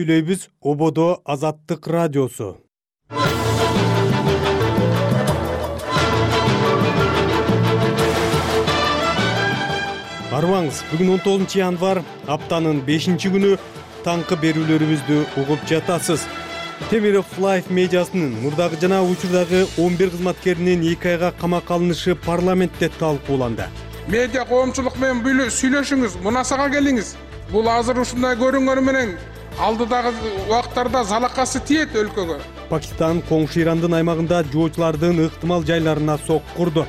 Сүйлөйбүз Ободо Азаттык радиосу. Арбаңыз, бүгүн 19 январ, аптанын 5-күнү, таңкы берүүлөрүбүздү угуп жатасыз. Темиров Life медиасынын мурдагы жана учурдагы 11 кызматкеринин 2 айга камакка алынышы парламентте талкууланды. Медиа коомчулук менен сүйлөшүңүз, мунасага келиңиз. Бул азыр ушундай көрүнгөнү менен алдыдагы убакыттарда залакасы тиет өлкөгө. Пакистан коңшу Ирандын аймагында жоочулардын ыктымал жайларына соккурду.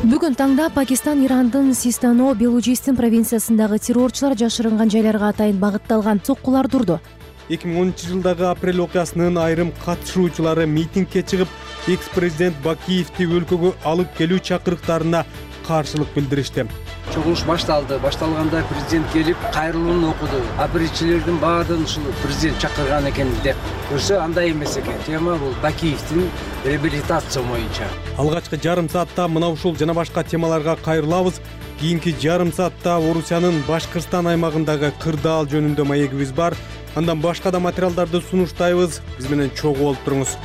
Бүгүн таңда Пакистан Ирандын Систано Белужистин провинциясындагы террорчулар жашырынган жайларга атайын багытталган соккуларды урду. 2010 жылдагы апрель окуясынын айрым катышуучулары митингге чыгып, экс-президент Бакиевди өлкөгө алып келүү чакырыктарына каршылык билдиришти. Чогулуш башталганда президент келип кайрылууну окуду. Биринчилердин баардыгын ушул президент чакырган экен деп. Көрсө андай эмес экен. Тема бул Бакиевдин реабилитация боюнча. Алгачкы жарым саатта мына ушул жана башка темаларга кайрылабыз. Кийинки жарым саатта Орусиянын Башкырстан аймагындагы кырдаал жөнүндө маегибиз бар. Андан башка да материалдарды сунуштайбыз. Биз менен чогуу болуп туруңуз.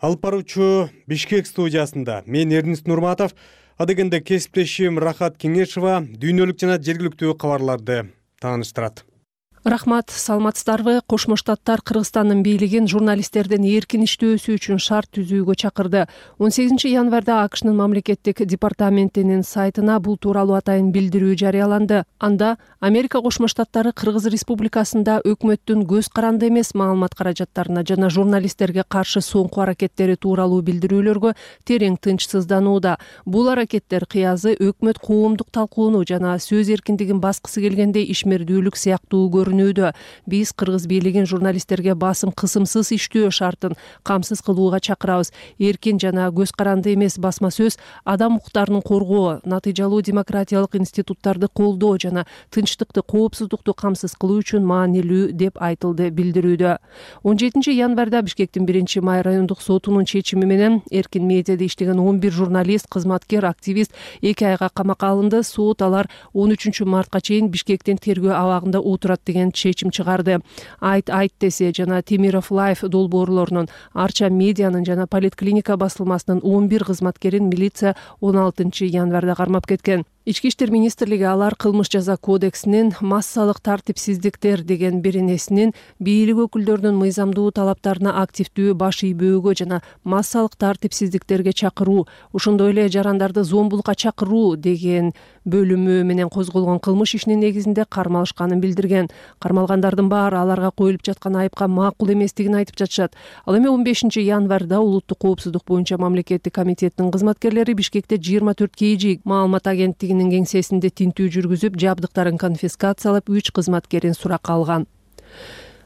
Алып баруучу Бишкек студиясында мен Эрнист Нурматов, адегенде кесиптешим Рахат Кеңешова дүйнөлүк жана жергиликтүү кабарларды тааныштырат. Рахмат, саламатсыздарбы? Кошмо Штаттар Кыргызстандын бийлигин журналисттердин эркин иштөөсү үчүн шарт түзүүгө чакырды. 18 январда АКШнын мамлекеттик департаментинин сайтына бул тууралуу атайын билдирүү жарыяланды. Анда Америка Кошмо Штаттары Кыргыз Республикасында өкмөттүн көз каранды эмес маалымат каражаттарына жана журналисттерге каршы соңку аракеттери тууралуу билдирүүлөргө терең тынчсызданууда. Бул аракеттер кыязы өкмөт коомдук талкууну жана сөз эркиндигин баскысы келгендей ишмердүүлүк сыяктуу көрүнүүдө. Биз Кыргыз бийлигин журналисттерге басым кысымсыз иштөө шартын камсыз кылууга чакырабыз. Эркин жана көз каранды эмес басма сөз, адам укуктарын коргоо, натыйжалуу демократиялык институттарды колдоо жана тынчтыкты, коопсуздукту камсыз кылуу үчүн маанилүү деп айтылды билдирүүдө. 17 январда Бишкектин 1-май райондук сотунун чечими менен эркин медиада иштеген 11 журналист, кызматкер, активист 2 айга камакка алынды. Сот алар 13 мартка чейин Бишкектин тергөө абагында отурат деген чечим чыгарды. Айт десе жана Темиров Life долбоорлорунун, Арча медианын жана Политклиника басылмасынын 11 кызматкерин милиция 16 январда кармап кеткен. Ички иштер министрлиги алар кылмыш жаза кодексинин массалык тартипсиздиктер деген беренесинин бийлик өкүлдөрүнүн мыйзамдуу талаптарына активдүү баш ийбөөгө жана массалык тартипсиздиктерге чакыруу, ошондой эле жарандарды зомбулукка чакыруу деген бөлүмү менен козголгон кылмыш ишинин негизинде кармалышканын билдирген. Кармалгандардын баары аларга коюлуп жаткан айыпка макул эместигин айтып жатышат. Ал эми 15 январда улуттук коопсуздук боюнча мамлекеттик комитеттин кызматкерлери Бишкекте 24 KG маалымат агенттиги кеңсесинде тинтүү жүргүзүп, жабдыктарын конфискациялап, 3 кызматкерин суракка алган.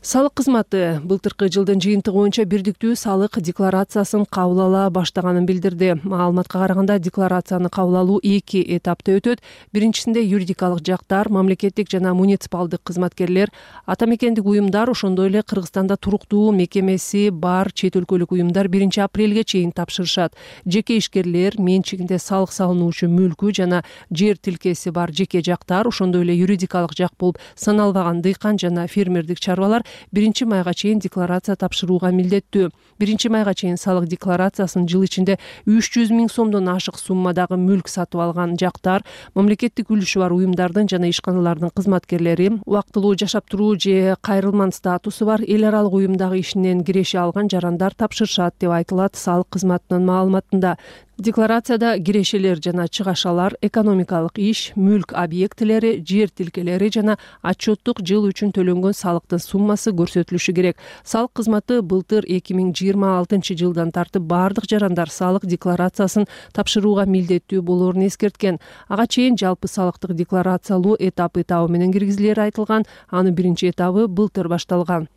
Салык кызматы былтыркы жылдын жыйынтыгы боюнча бирдиктүү салык декларациясын кабыл ала баштаганын билдирди. Маалыматка караганда декларацияны кабыл алуу 2 этапта өтөт. Биринчисинде юридикалык жактар, мамлекеттик жана муниципалдык кызматкерлер, ата мекендик уюмдар, ошондой эле Кыргызстанда туруктуу мекемеси бар чет өлкөлүк уюмдар 1 апрелге чейин тапшырышат. Жеке ишкерлер, менчигинде салык салынуучу мүлкү жана жер тилкеси бар жеке жактар, ошондой эле юридикалык жак болуп саналбаган дыйкан жана фермердик чарбалар 1 майга чейин декларация тапшырууга милдеттүү. 1 майга чейин салык декларациясын жыл ичинде 300 000 сомдон ашык суммадагы мүлк сатып алган жактар, мамлекеттик үлүшү бар уюмдардын жана ишканалардын кызматкерлери, убактылуу жашап туруу же кайрылман статусу бар эл аралык уюмдагы ишинен киреше алган жарандар тапшырышат деп айтылат салык кызматынын маалыматында. Декларацияда кирешелер жана чыгашалар, экономикалык иш, мүлк объектилери, жер тилкелери жана отчеттук жыл үчүн төлөнгөн салыктын суммасы көрсөтүлүшү керек. Салык кызматы былтыр 2026 жылдан тартып бардык жарандар салык декларациясын тапшырууга милдеттүү болоорун эскерткен. Ага чейин жалпы салыктык декларациялоо этабы менен киргизилери айтылган. Анын 1 этабы былтыр башталган.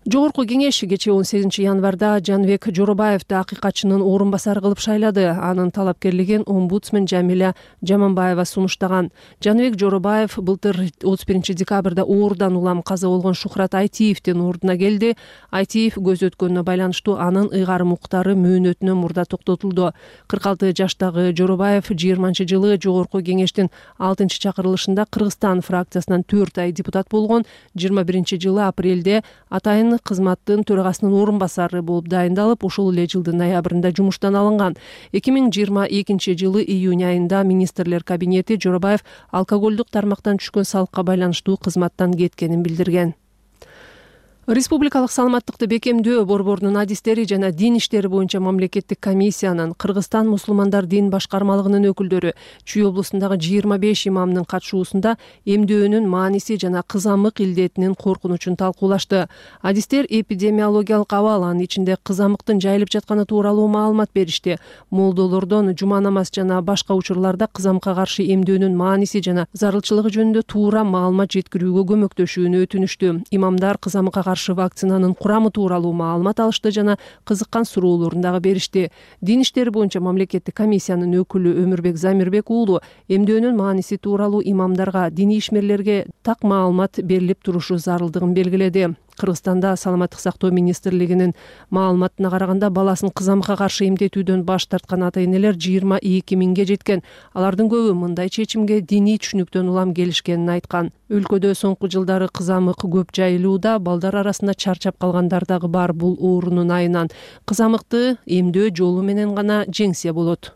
Жогорку кеңеш кечээ 18 январда Жаныбек Жоробаевди акыйкатчынын орун басары кылып шайлады. Анын талапкерлигин омбудсмен Жамиля Жаманбаева сунуштаган. Жаныбек Жоробаев былтыр 31 декабрда оорудан улам каза болгон Шухрат Айтиевдин ордуна келди. Айтиев көз өткөнүнө байланыштуу анын ыйгарым укуктары мөөнөтүнөн мурда токтотулду. 46 жаштагы Жоробаев 20-жылы Жогорку кеңештин 6-чакырылышында Кыргызстан фракциясынан 4 ай депутат болгон. 21-жылы апрелде атайын кызматтын төрагасынын орун басары болуп дайындалып, ошол эле жылдын ноябрында жумуштан алынган. 2022-жылы июнь айында министрлер кабинети Жоробаев алкоголдук тармактан түшкөн салыкка байланыштуу кызматтан кеткенин билдирген. Республикалык саламаттыкты бекемдөө борборунун адистери жана дин иштери боюнча мамлекеттик комиссиянын Кыргызстан мусулмандар дин башкармалыгынын өкүлдөрү Чүй облусундагы 25 имамдын катышуусунда эмдөөнүн мааниси жана кызамык илдетинин коркунучун талкуулашты. Адистер эпидемиологиялык абал, анын ичинде кызамыктын жайылып жатканы тууралуу маалымат беришти. Молдолордон жума намаз жана башка учурларда кызамыкка каршы эмдөөнүн мааниси жана зарылчылыгы жөнүндө туура маалымат жеткирүүгө көмөктөшүүнү өтүнүштү. Имамдар кызамыкка каршы вакцинанын курамы тууралуу маалымат алышты жана кызыккан суроолорун дагы беришти. Дин иштери боюнча мамлекеттик комиссиянын өкүлү Өмүрбек Замирбек уулу эмдөөнүн мааниси тууралуу имамдарга, диний ишмерлерге так маалымат берилип турушу зарылдыгын белгиледи. Кыргызстанда саламаттык сактоо министрлигинин маалыматына караганда баласын кызамыкка каршы эмдетүүдөн баш тарткан ата-энелер 22 миңге жеткен. Алардын көбү мындай чечимге диний түшүнүктөн улам келишкенин айткан. Өлкөдө соңку жылдары кызамык көп жайылууда, балдар арасында чарчап калгандар дагы бар. Бул оорунун айынан кызамыкты эмдөө жолу менен гана жеңсе болот.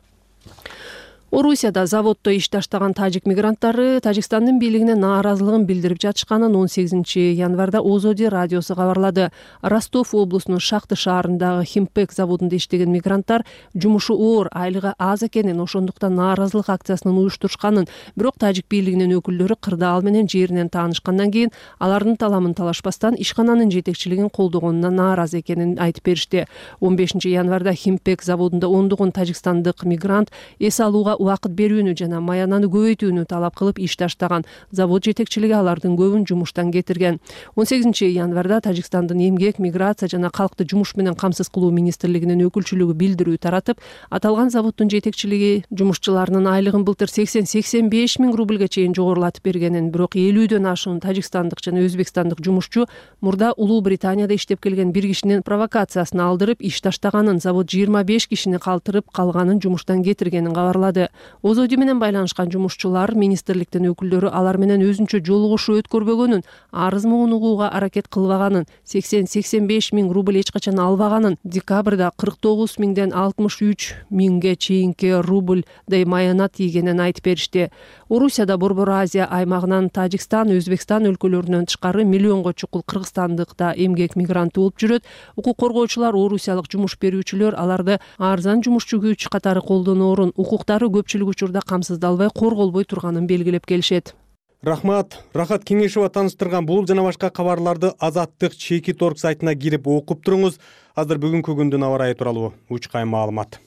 Орусияда заводдо иш таштаган тажик мигранттары Тажикстандын бийлигине нааразылыгын билдирип жатышканын 18 январда Озоди радиосу кабарлады. Ростов облусунун Шахты шаарындагы Химпек заводунда иштеген мигранттар жумушу оор, айлыгы аз экенин, ошондуктан нааразылык акциясынын уюштурушканын, бирок тажик бийлигинин өкүлдөрү кырдаал менен жеринен таанышкандан кийин алардын таламын талашпастан ишкананын жетекчилигин колдогонуна нааразы экенин айтып беришти. 15 январда Химпек заводунда ондогон тажикстандык мигрант эс алууга убакыт берүүнү жана маянаны көбөйтүүнү талап кылып иш таштаган. Завод жетекчилиги алардын көбүн жумуштан кетирген. 18 январда Тажикстандын эмгек, миграция жана калкты жумуш менен камсыз кылуу министрлигинин өкүлчүлүгү билдирүү таратып, аталган заводдун жетекчилиги жумушчуларынын айлыгын былтыр 80-85 миң рубльге чейин жогорулатып бергенин, бирок 50дөн ашуун тажикстандык жана өзбекстандык жумушчу мурда Улуу Британияда иштеп келген бир кишинин провокациясына алдырып иш таштаганын, завод 25 кишини калтырып калганын жумуштан кетиргенин кабарлады. Озоди менен байланышкан жумушчулар министрликтин өкүлдөрү алар менен өзүнчө жолугушуу өткөрбөгөнүн, арыз муун угууга аракет кылбаганын, 80-85 миң рубль эч качан албаганын, декабрда 49 миңден 63 миңге чейинки рубльдай маянат ийгенин айтып беришти. Орусияда Борбор Азия аймагынан Тажикстан, Өзбекстан өлкөлөрүнөн тышкары миллионго чукул кыргызстандыкта эмгек мигранты болуп жүрөт. Укук коргоочулар, орусиялык жумуш берүүчүлөр аларды арзан жумушчу күч катары колдоноорун, укуктары көпчүлүк учурда камсыздалбай, корголбой турганын белгилеп келишет. Рахмат. Рахат Кеңешова тааныштырган бул жана башка кабарларды Азаттык Чеки.org сайтына кирип окуп туруңуз. Азыр бүгүнкү күндүн аба ырайы тууралуу учкай маалымат.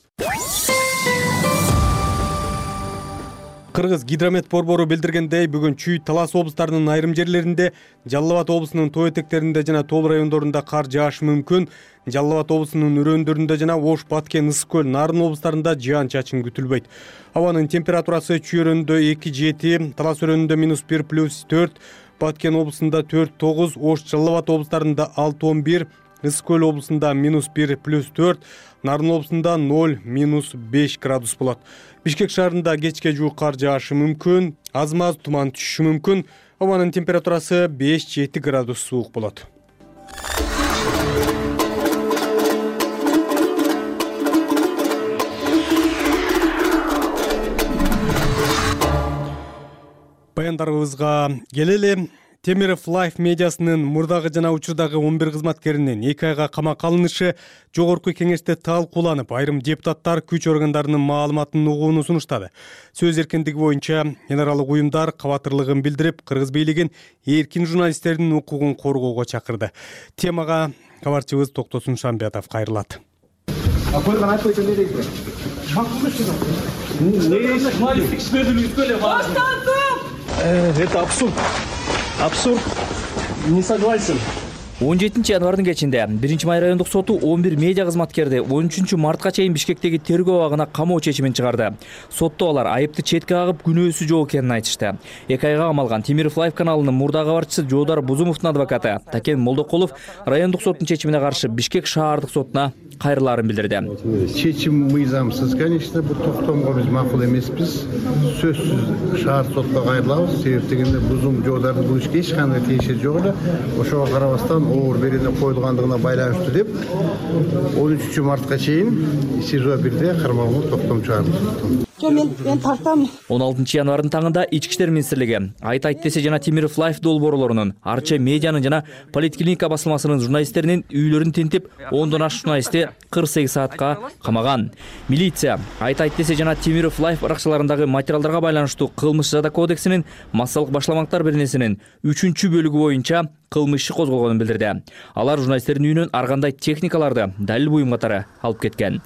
Кыргыз гидромет борбору билдиргендей, бүгүн Чүй, Талас облустарынын айрым жерлеринде, Жалал Абад облусунун тоо этектеринде жана тоо райондорунда кар жаашы мүмкүн. Жалал Абад облусунун өрөөндөрүндө жана Ош, Баткен, Ысык көл, Нарын облустарында жаан-чачын күтүлбөйт. Абанын температурасы Чүй өрөөнүндө 2-7, Талас өрөөнүндө -1 +4, Баткен облусунда 4-9, Ош, Жалал Абад облустарында 6-11, Ысык көл облусунда -1 +4, Нарын облусунда 0-5 градус болот. Бишкек шаарында кечке жуук кар жаашы мүмкүн, аз-маз туман түшүшү мүмкүн. Абанын температурасы 5-7 градус суук болот. Баяндарыбызга келели. Темиров Life медиасынын мурдагы жана учурдагы 11 кызматкеринин 2 айга камакка алынышы жогорку кеңеште талкууланып, айрым депутаттар күч органдарынын маалыматын угууну сунуштады. Сөз эркиндиги боюнча ненаралык уюмдар кабатырлыгын билдирип, кыргыз бийлигин эркин журналисттердин укугун коргоого чакырды. Темага кабарчыбыз Токтосун Шамбиятов кайрылат. Это абсурд. Абсурд. Не согласен. 17 январдын кечинде 1-май райондук соту 11 медиа кызматкерди 13 мартка чейин Бишкектеги тергөө абагына камоо чечимин чыгарды. Сотто алар айыпты четке кагып, күнөөсү жок экенин айтышты. 2 айга камалган Темиров Лайф каналынын мурдагы кабарчысы Жоодар Бузумовдун адвокаты Такен Молдокулов райондук соттун чечимине каршы Бишкек шаардык сотуна кайрылаарын билдирди. Чечим мыйзамсыз, конечно, бул токтомго биз макул эмеспиз. Сөзсүз шаар сотко кайрылабыз. Себеп дегенде Жоодардын бул ишке эч кандай тиеши жок эле. Ошого карабастан оор берене коюлгандыгына байланыштуу деп 13 мартка чейин СИЖО 1де кармалган токтом чыгарды. Мен тартам. 16 январдын таңында Ички иштер министрлиги Айт десе жана Темиров Лайф долбоорлорунун, Арча медианын жана Политклиника басылмасынын журналисттеринин үйлөрүн тинтип, 10дон ашык журналистти 48 саатка камаган. Милиция Айт десе жана Темиров Лайф ыракчыларындагы материалдарга байланыштуу кылмыш жаза кодексинин массалык башламактар беренесинин 3-бөлүгү боюнча кылмыш иши козголгонун билдирди. Алар журналисттердин үйүнөн ар кандай техникаларды, далил буюм катары алып кеткен.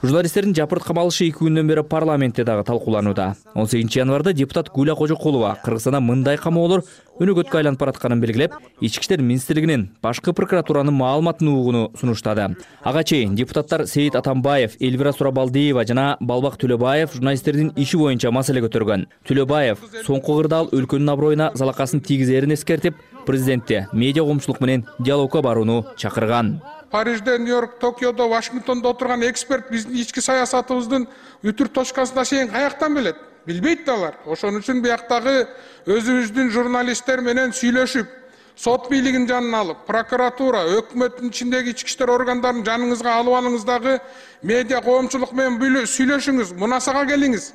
Журналисттердин жапырт камалышы 2 күндөн бери парламентте дагы талкууланууда. 18 январда депутат Гүлә Кожокулова Кыргызстанда мындай камоолор өнөгөткө айланып баратканын белгилеп, Ички иштер министрлигинин башкы прокуратуранын маалыматын угууну сунуштады. Ага чейин депутаттар Сейит Атамбаев, Элвира Сурабалдиева жана Балбак Төлөбаев журналисттердин иши боюнча маселе көтөргөн. Төлөбаев соңку кырдаал өлкөнүн аброюна залакасын тийгизерин эскертип, президентти медиа коомчулук менен диалогко барууну чакырган. Парижде, Нью-Йорк, Токиодо, Вашингтондо отурган эксперт биздин ички саясатыбыздын үтүр точкасына чейин каяктан билет? Билбейт да алар. Ошон үчүн бияктагы өзүбүздүн журналисттер менен сүйлөшүп, сот бийлигин жанына алып, прокуратура, өкмөттүн ичиндеги ички иштер органдарын жаныңызга алып алыңыздагы медиа коомчулук менен сүйлөшүңүз, мунасага келиңиз.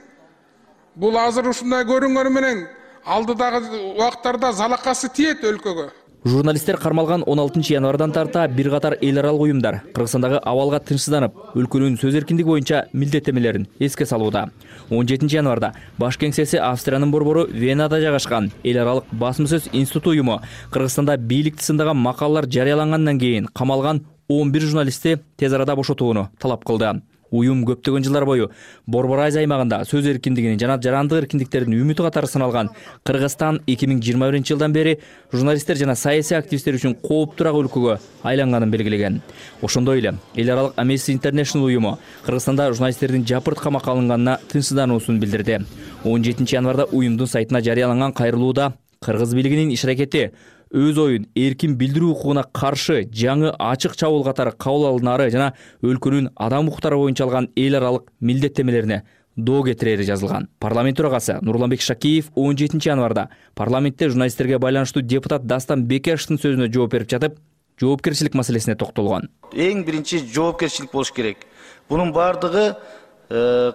Бул азыр ушундай көрүнгөнү менен алдыдагы убактарда залакасы тиет өлкөгө. Журналисттер кармалган 16 январдан тарта бир катар эл аралык уюмдар Кыргызстандагы абалга тынчсызданып, өлкөнүн сөз эркиндиги боюнча милдеттемелерин эске салууда. 17 январда баш кеңсеси Австриянын борбору Венада жайгашкан эл аралык басма сөз институту уюму Кыргызстанда бийликти сындаган макалалар жарыялангандан кийин камалган 11 журналистти тез арада бошотууну талап кылды. Уюм көптөгөн жылдар бою Борбор Азия аймагында сөз эркиндигинин жана жарандык эркиндиктердин үмүтү катары саналган Кыргызстан 2021-жылдан бери журналисттер жана саясий активисттер үчүн кооптуураак өлкөгө айланганын белгилеген. Ошондой эле эл аралык Amnesty International уюму Кыргызстанда журналисттердин жапырт камакка алынганына тынчсыздануусун билдирди. 17 январда уюмдун сайтына жарыяланган кайрылууда кыргыз бийлигинин иш-аракети өз оюн эркин билдирүү укугуна каршы жаңы ачык чабуул катары кабыл алынары жана өлкөнүн адам укуктары боюнча алган эл аралык милдеттемелерине доо кетирери жазылган. Парламент төрагасы Нурланбек Шакиев 17 январда парламентте журналисттерге байланыштуу депутат Дастан Бекешевдин сөзүнө жооп берип жатып, жоопкерчилик маселесине токтолгон. Эң биринчи жоопкерчилик болуш керек. Бунун бардыгы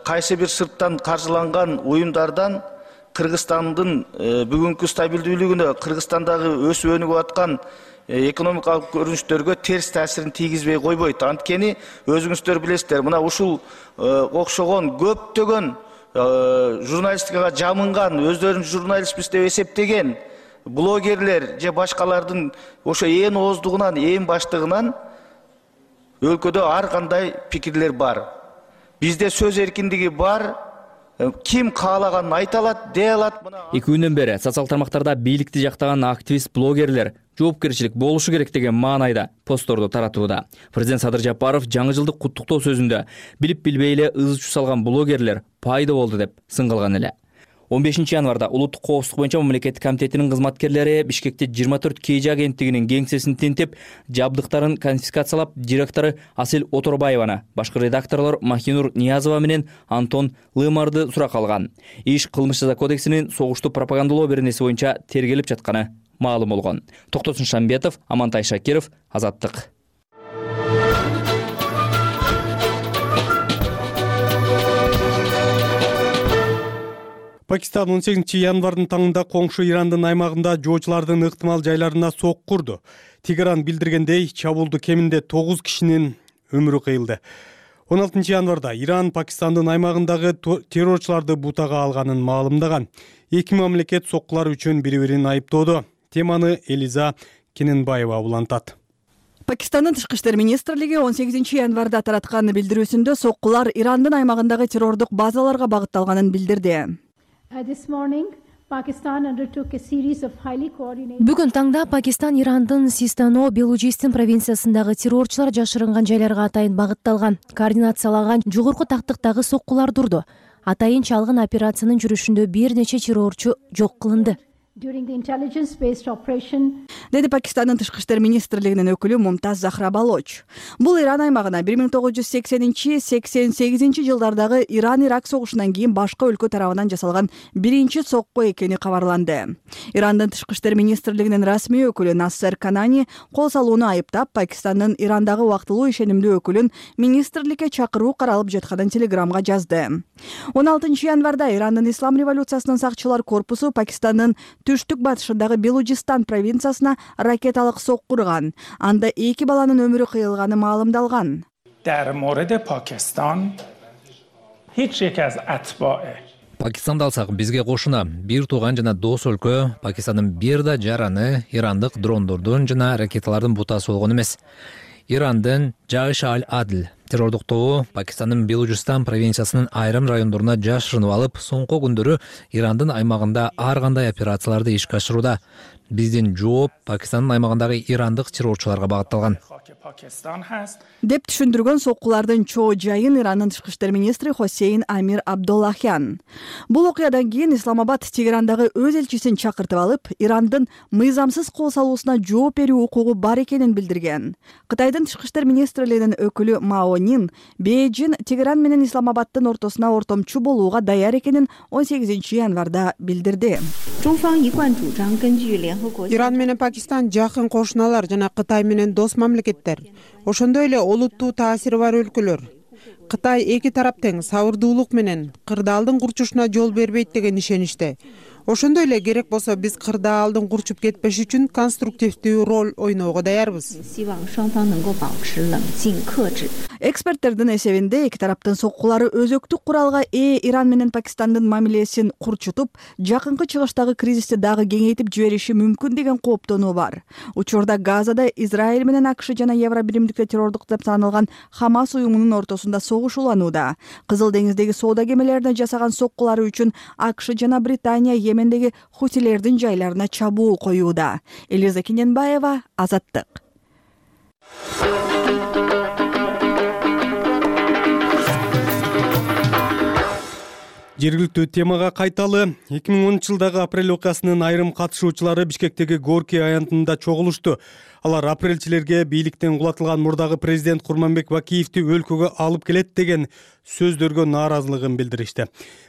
кайсы бир сырттан каржыланган уюмдардан Кыргызстандын бүгүнкү стабилдүүлүгүнө, Кыргызстандагы өсүп өнүгүп аткан экономикалык көрүнүштөргө терс таасирин тийгизбей койбойт. Анткени өзүңүздөр билесиздер, мына ушул окшогон көптөгөн журналистикага жамынган, өздөрүн журналистпиз деп эсептеген блогерлер же башкалардын ошо ээн ооздугунан, ээн баштыгынан өлкөдө ар кандай пикирлер бар. Бизде сөз эркиндиги бар. Ким каалаганын айта алат, дей алат. 2 күндөн бери социал тармактарда бийликти жактаган активист блогерлер жоопкерчилик болушу керек деген маанайда постторду таратууда. Президент Садыр Жапаров жаңы жылдык куттуктоо сөзүндө билип билбей эле ыз чуу салган блогерлер пайда болду деп сын кылган эле. 15 январда Улуттук коопсуздук боюнча мамлекеттик комитетинин кызматкерлери Бишкекте 24 KG агенттигинин кеңсесин тинтип, жабдыктарын конфискациялап, директору Асел Оторбаеваны, башкы редакторлор Махинур Ниязова менен Антон Лымарды суракка алган. Иш кылмыш жаза кодексинин согушту пропагандалоо беренеси боюнча тергелип жатканы маалым болгон. Токтосун Шамбетов, Амантай Шакиров, Азаттык. Пакистан 18 январдын таңында коңшу Ирандын аймагында жоочулардын ыктымал жайларына сокку урду. Тегеран билдиргендей, чабуулду кеминде 9 кишинин өмүрү кыйылды. 16 январда Иран Пакистандын аймагындагы террорчуларды бутага алганын маалымдаган. Эки мамлекет соккулар үчүн бири-бирин айыптоодо. Теманы Элиза Кененбаева улантат. Пакистандын тышкы иштер министрлиги 18 январда тараткан билдирүүсүндө соккулар Ирандын аймагындагы террордук базаларга багытталганын билдирди. This morning, Бүгүн таңда Пакистан Ирандын Систано Белужистин провинциясындагы террорчулар жашырынган жайларга атайын багытталган координациялаган жогорку тактыктагы соккулар турду. Атайын чалгын операциянын жүрүшүндө бир нече террорчу жок кылынды. Деди Пакистандын тышкы иштер министрлигинин өкүлү Мумтаз Захра Балоч. Бул Иран аймагына 1980-88 жылдардагы Иран-Ирак согушунан кийин башка өлкө тарабынан жасалган биринчи сокку экени кабарланды. Ирандын тышкы иштер министрлигинин расмий өкүлү Нассер Канани кол салууну айыптап, Пакистандын Ирандагы убактылуу ишенимдүү өкүлүн министрликке чакыруу каралып жатканын телеграмга жазды. 16 январда Ирандын Ислам революциясынын сакчылар корпусу Пакистандын түштүк батышындагы Белужистан провинциясына ракеталык сокку урган. Анда 2 баланын өмүрү кыйылганы маалымдалган. Пакистанды алсак, бизге кошуна бир тууган жана дос өлкө Пакистандын бир да жараны ирандык дрондордун жана ракеталардын бутасы болгон эмес. Ирандын Жайш аль-Адл террордук тобу Пакистандын Белужистан провинциясынын айрым райондоруна жашырынып алып, соңку күндөрү Ирандын аймагында ар кандай операцияларды ишке ашырууда. Биздин жооп Пакистандын аймагындагы ирандык террорчуларга багытталган. Деп түшүндүргөн соккулардын чоо жайын Ирандын тышкы иштер министри Хосейн Амир Абдуллахян. Бул окуядан кийин Исламабад Тегерандагы өз элчисин чакыртып алып, Ирандын мыйзамсыз кол салуусуна жооп берүү укугу бар экенин билдирген. Кытайдын тышкы иштер министрлигинин өкүлү Мао Нин Бейжин Тегеран менен Исламабаддын ортосуна ортомчу болууга даяр экенин 18 январда билдирди. Иран менен Пакистан жакын кошуналар жана Кытай менен дос мамлекеттер. Ошондой эле олуттуу таасири бар өлкөлөр. Кытай эки тарап тең сабырдуулук менен кырдаалдын курчушуна жол бербейт деген ишеничте. Ошондой эле керек болсо биз кырдаалдын курчуп кетпеш үчүн конструктивдүү роль ойноого даярбыз. Эксперттердин эсебинде эки тараптын соккулары өзөктүк куралга ээ Иран менен Пакистандын мамилесин курчутуп, жакынкы чыгыштагы кризисти дагы кеңейтип жибериши мүмкүн деген кооптонуу бар. Учурда Газада Израиль менен АКШ жана Евробиримдикте террордук деп саналган Хамас уюмунун ортосунда согуш уланууда. Кызыл деңиздеги соода кемелерине жасаган соккулары үчүн АКШ жана Британия Йемендеги хутилердин жайларына чабуул коюуда. Элиза Кененбаева, Азаттык. Жергиликтүү темага кайталы. 2010 жылдагы апрель окуясынын айрым катышуучулары Бишкектеги Горький аянтында чогулушту. Алар апрелчилерге бийликтен кулатылган мурдагы президент Курманбек Бакиевди өлкөгө алып келет деген сөздөргө нааразылыгын билдиришти.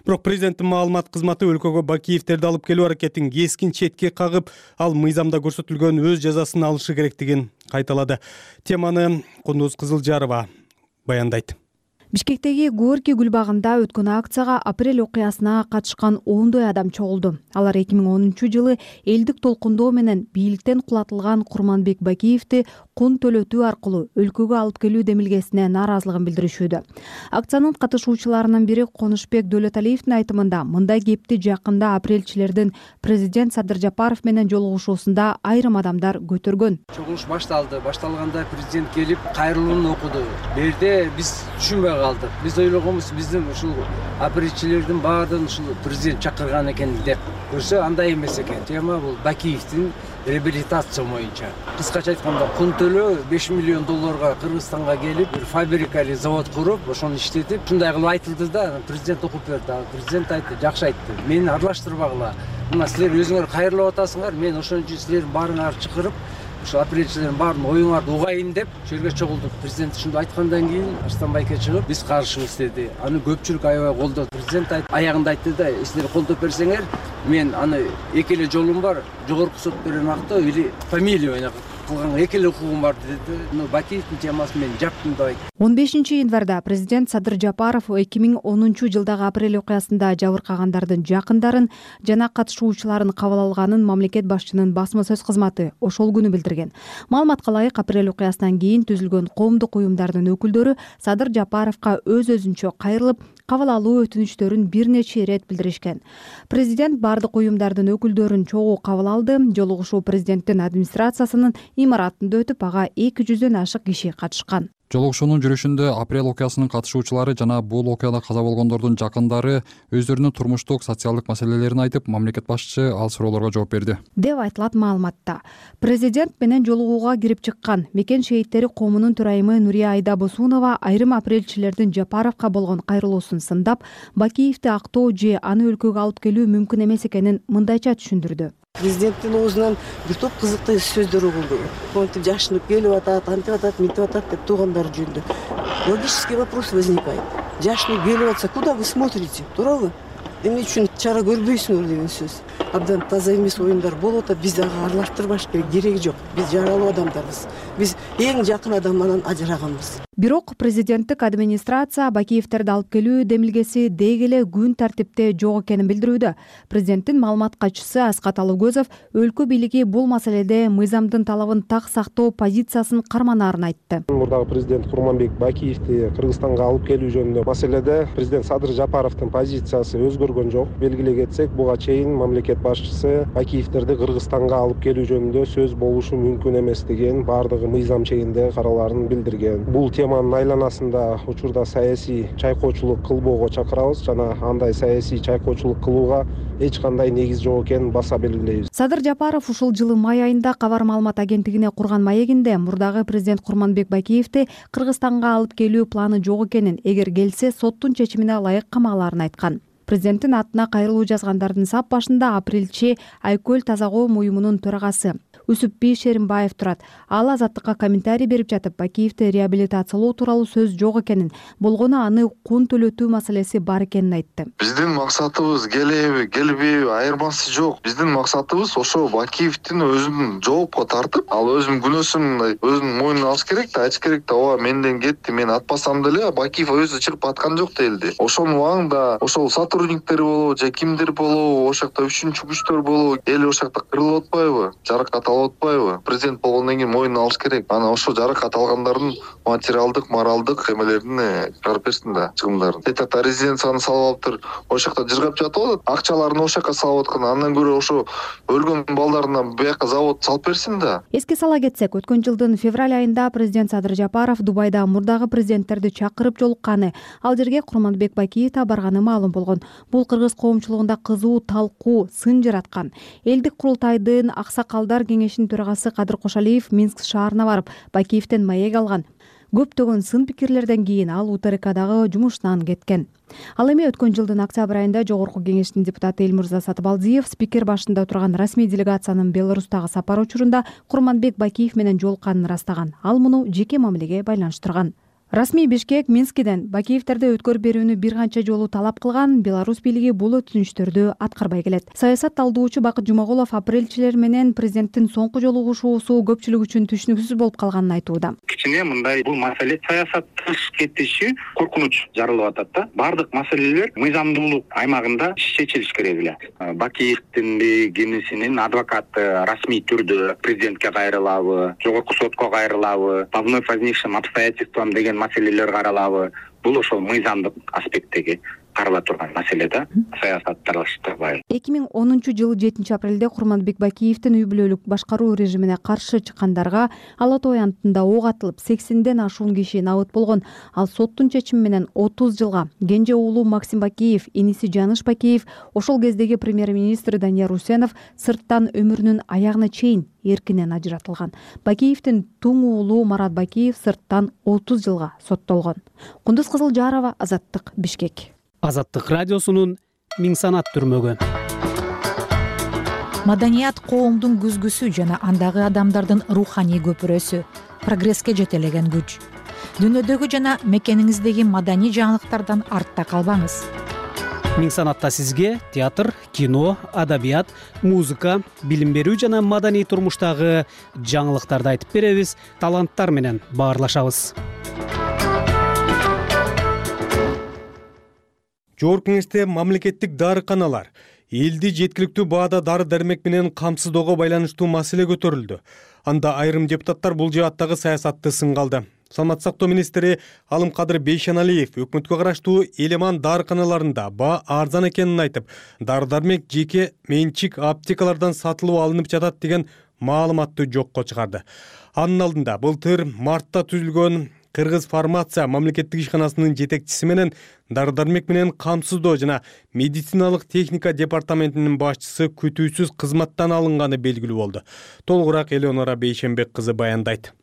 Бирок президенттин маалымат кызматы өлкөгө Бакиевдерди алып келүү аракетин кескин четке кагып, ал мыйзамда көрсөтүлгөн өз жазасын алышы керектигин кайталады. Теманы Кундуз Кызылжарова баяндайт. Бишкектеги Горький гүл багында өткөн акцияга апрель окуясына катышкан ондой адам чогулду. Алар 2010 жылы элдик толкундоо менен бийликтен кулатылган Курманбек Бакиевди кун төлөтүү аркылуу өлкөгө алып келүү демилгесине нааразылыгын билдиришүүдө. Акциянын катышуучуларынын бири Конушбек Дөлөталиевдин айтымында мындай кепти жакында апрельчилердин президент Садыр Жапаров менен жолугушуусунда айрым адамдар көтөргөн. Чогулуш башталды. Башталганда президент келип кайрылууну окуду. Берде биз түшүнбөй калдык. Биз ойлогонбуз биздин ушул апрельчилердин баардыгын ушул президент чакырган экен деп. Көрсө андай эмес экен. Тема бул Бакиевдин реабилитация боюнча. Кыскача айтканда кун төлөө $5 миллион Кыргызстанга келип, бир фабрика или завод куруп, ошону иштетип, ушундай кылып айтылды да, президент окуп берди. Президент айтты, жакшы айтты. Мени аралаштырбагыла. Мына силер өзүңөр кайрылып атасыңар, мен ошон үчүн силердин баарыңарды чакырып, ушул апрельчилердин баарын оюңарды угайын деп жерге чогулдук. Президент ушунду айткандан кийин Арстанбайке чыгып, биз каршыбыз деди. Аны көпчүлүк аябай колдоду. Президент аягында айтты да, силер колдоп берсеңер, мен аны эки эле жолум бар, жогорку сот берген акты или фамилия менен кылганга эки эле укугум бар деди. Бакиевдин темасын мен жаптым деп айтты. 15 январда президент Садыр Жапаров 2010 жылдагы апрель окуясында жабыркагандардын жакындарын жана катышуучуларын кабыл алганын мамлекет башчынын басма сөз кызматы ошол күнү билдирген. Маалыматка ылайык, апрель окуясынан кийин түзүлгөн коомдук уюмдардын өкүлдөрү Садыр Жапаровго өз-өзүнчө кайрылып, кабыл алуу өтүнүчтөрүн бир нече ирет билдиришкен. Президент бардык уюмдардын өкүлдөрүн чогуу кабыл алды. Жолугушуу президенттин администрациясынын имаратында өтүп, ага 200дөн ашык киши катышкан. Жолугушуунун жүрүшүндө апрель окуясынын катышуучулары жана бул окуяда каза болгондордун жакындары өздөрүнүн турмуштук, социалдык маселелерин айтып, мамлекет башчысы ал суроолорго жооп берди деп айтылат маалыматта. Президент менен жолугууга кирип чыккан мекен шейиттери коомунун төрайымы Нурия Айда-Босунова айрым апрелчилердин Жапаровго болгон кайрылуусун сындап, Бакиевди актоо же аны өлкөгө алып келүү мүмкүн эмес экенин мындайча түшүндүрдү. Президенттин оозунан бир топ кызыктуу сөздөр угулду. Монтип жашынып келип атат, антип атат, мынтип атат деп туугандары жөнүндө. Логический вопрос возникает. Жашынып келип атса, куда вы смотрите? Туурабы? Эмне үчүн чара көрбөйсүңөр деген сөз. Абдан таза эмес оюндар болуп атат. Биз ага аралаштырбаш кереги жок. Биз жаралуу адамдарбыз. Биз эң жакын адамдан ажыраганбыз. Бирок президенттик администрация Бакиевтерди алып келүү демилгеси деги эле күн тартипте жок экенин билдирүүдө. Президенттин маалымат катчысы Аскат Алыгөзов өлкө бийлиги бул маселеде мыйзамдын талабын так сактоо позициясын карманаарын айтты. Мурдагы президент Курманбек Бакиевди Кыргызстанга алып келүү жөнүндө маселеде президент Садыр Жапаровдун позициясы өзгөргөн жок. Белгилей кетсек, буга чейин мамлекет башчысы Бакиевтерди Кыргызстанга алып келүү жөнүндө сөз болушу мүмкүн эмес деген баардыгы мыйзам чегинде караларын билдирген. Бул теманын айланасында учурда саясий чайкоочулук кылбоого чакырабыз жана андай саясий чайкоочулук кылууга эч кандай негиз жок экенин баса белгилейбиз. Садыр Жапаров ушул жылы май айында Кабар маалымат агенттигине курган маегинде мурдагы президент Курманбек Бакиевди Кыргызстанга алып келүү планы жок экенин, эгер келсе соттун чечимине ылайык камалаарын айткан. Президенттин атына кайрылуу жазгандардын сап башында апрелчи Айкөл Таза-коом уюмунун төрагасы Үсүпбий Шеримбаев турат. Ал Азаттыкка комментарий берип жатып, Бакиевди реабилитациялоо тууралуу сөз жок экенин, болгону аны кун төлөтүү маселеси бар экенин айтты. Биздин максатыбыз келеби, келбеби айырмасы жок. Биздин максатыбыз ошо Бакиевдин өзүн жоопко тартып, ал өзүнүн күнөөсүн өзүнүн мойнуна алыш керек да, айтыш керек да, ооба менден кетти, мен атпасам деле Бакиев өзү чыгып аткан жок делди. Ошонун убагында ошол сотрудниктер болобу же кимдир болобу, ошол жакта үчүнчү күчтөр болобу, эл ошол жакта кырылып атпайбы, жаракат атпайбы? Президент болгондон кийин мойнуна алыш керек. Ана ошо жаракат алгандардын материалдык, моралдык эмелерин чыгарып берсин да, чыгымдарын. Тетакта резиденцияны салып алыптыр, ошол жакта жыргап жатып атат. Акчаларын ошол жака салып аткан. Андан көрө ошо өлгөн балдарына бияка завод салып берсин да. Эске сала кетсек, өткөн жылдын февраль айында президент Садыр Жапаров Дубайда мурдагы президенттерди чакырып жолукканы, ал жерге Курманбек Бакиев да барганы маалым болгон. Бул кыргыз коомчулугунда кызуу талкуу, сын жараткан. Элдик курултайдын аксакалдар кеңешинин төрагасы Кадыр Кошалиев Минск шаарына барып, Бакиевден маек алган. Көптөгөн сын пикирлерден кийин ал УТРКдагы жумушунан кеткен. Ал эми өткөн жылдын октябрь айында Жогорку кеңештин депутаты Элмурза Сатыбалдиев спикер башында турган расмий делегациянын Беларустагы сапары учурунда Курманбек Бакиев менен жолукканын ырастаган. Ал муну жеке мамилеге байланыштырган. Расмий Бишкек Минскиден Бакиевтерди өткөрүп берүүнү бир канча жолу талап кылган, Беларусь бийлиги бул өтүнүчтөрдү аткарбай келет. Саясат талдоочу Бакыт Жумагулов апрелчилер менен президенттин соңку жолугушуусу көпчүлүк үчүн түшүнүксүз болуп калганын айтууда. Кичине мындай бул маселе саясат тыш кетиши коркунуч жаралып атат да. Бардык маселелер мыйзамдуулук аймагында чечилиш керек эле. Бакиевдин кимисинин адвокаты расмий түрдө президентке кайрылабы, жогорку сотко кайрылабы, по вновь возникшим обстоятельствам деген маселелер каралабы. Бул ошол мыйзамдык аспекттеги карала турган маселе да, саясатты аралаштырбай. 2010-жылы 7 апрелде Курманбек Бакиевдин үй бүлөлүк башкаруу режимине каршы чыккандарга Ала Той антында ок атылып 80ден ашуун киши набыт болгон. Ал соттун чечими менен 30 жылга, кенже уулу Максим Бакиев, иниси Жаныш Бакиев, ошол кездеги премьер-министр Данияр Усенов сырттан өмүрүнүн аягына чейин эркинен ажыратылган. Бакиевдин туң уулу Марат Бакиев сырттан 30 жылга соттолгон. Кундуз Кызылжарова, Азаттык, Бишкек. Азаттык радиосунун Миң санат түрмөгү. Маданият коомдун күзгүсү жана андагы адамдардын руханий көпүрөсү, прогресске жетелеген күч. Дүйнөдөгү жана мекениңиздеги маданий жаңылыктардан артта калбаңыз. Миң санатта сизге театр, кино, адабият, музыка, билим берүү жана маданий турмуштагы жаңылыктарды айтып беребиз, таланттар менен баарлашабыз. Жогорку кеңеште мамлекеттик дарыканалар элди жеткиликтүү баада дары-дармек менен камсыздоого байланыштуу маселе көтөрүлдү. Анда айрым депутаттар бул жааттагы саясатты сынга алды. Саламаттык сактоо министри Алымкадыр Бейшеналиев өкмөткө караштуу Элеман дарыканаларында баа арзан экенин айтып, дары-дармек жеке менчик аптекалардан сатылып алынып жатат деген маалыматты жокко чыгарды. Анын алдында былтыр мартта түзүлгөн Кыргыз фармация мамлекеттик ишканасынын жетекчиси менен дары-дармек менен камсыздоо жана медициналык техника департаментинин башчысы күтүүсүз кызматтан алынганы белгилүү болду. Толугураак Элеонора Бейшенбек кызы баяндайт.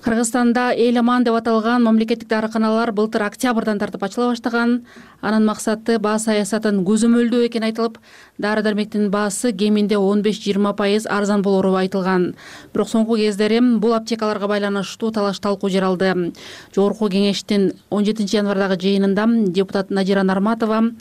Кыргызстанда эл-аман деп аталган мамлекеттик дарыканалар былтыр октябрдан тартып ачыла баштаган. Анын максаты баа саясатын көзөмөлдөө экени айтылып, дары-дармектин баасы кеминде 15-20% арзан болору айтылган. Бирок соңку кездери бул аптекаларга байланыштуу талаш-талкуу жаралды. Жогорку кеңештин 17 январдагы жыйынында депутат Надира Нарматова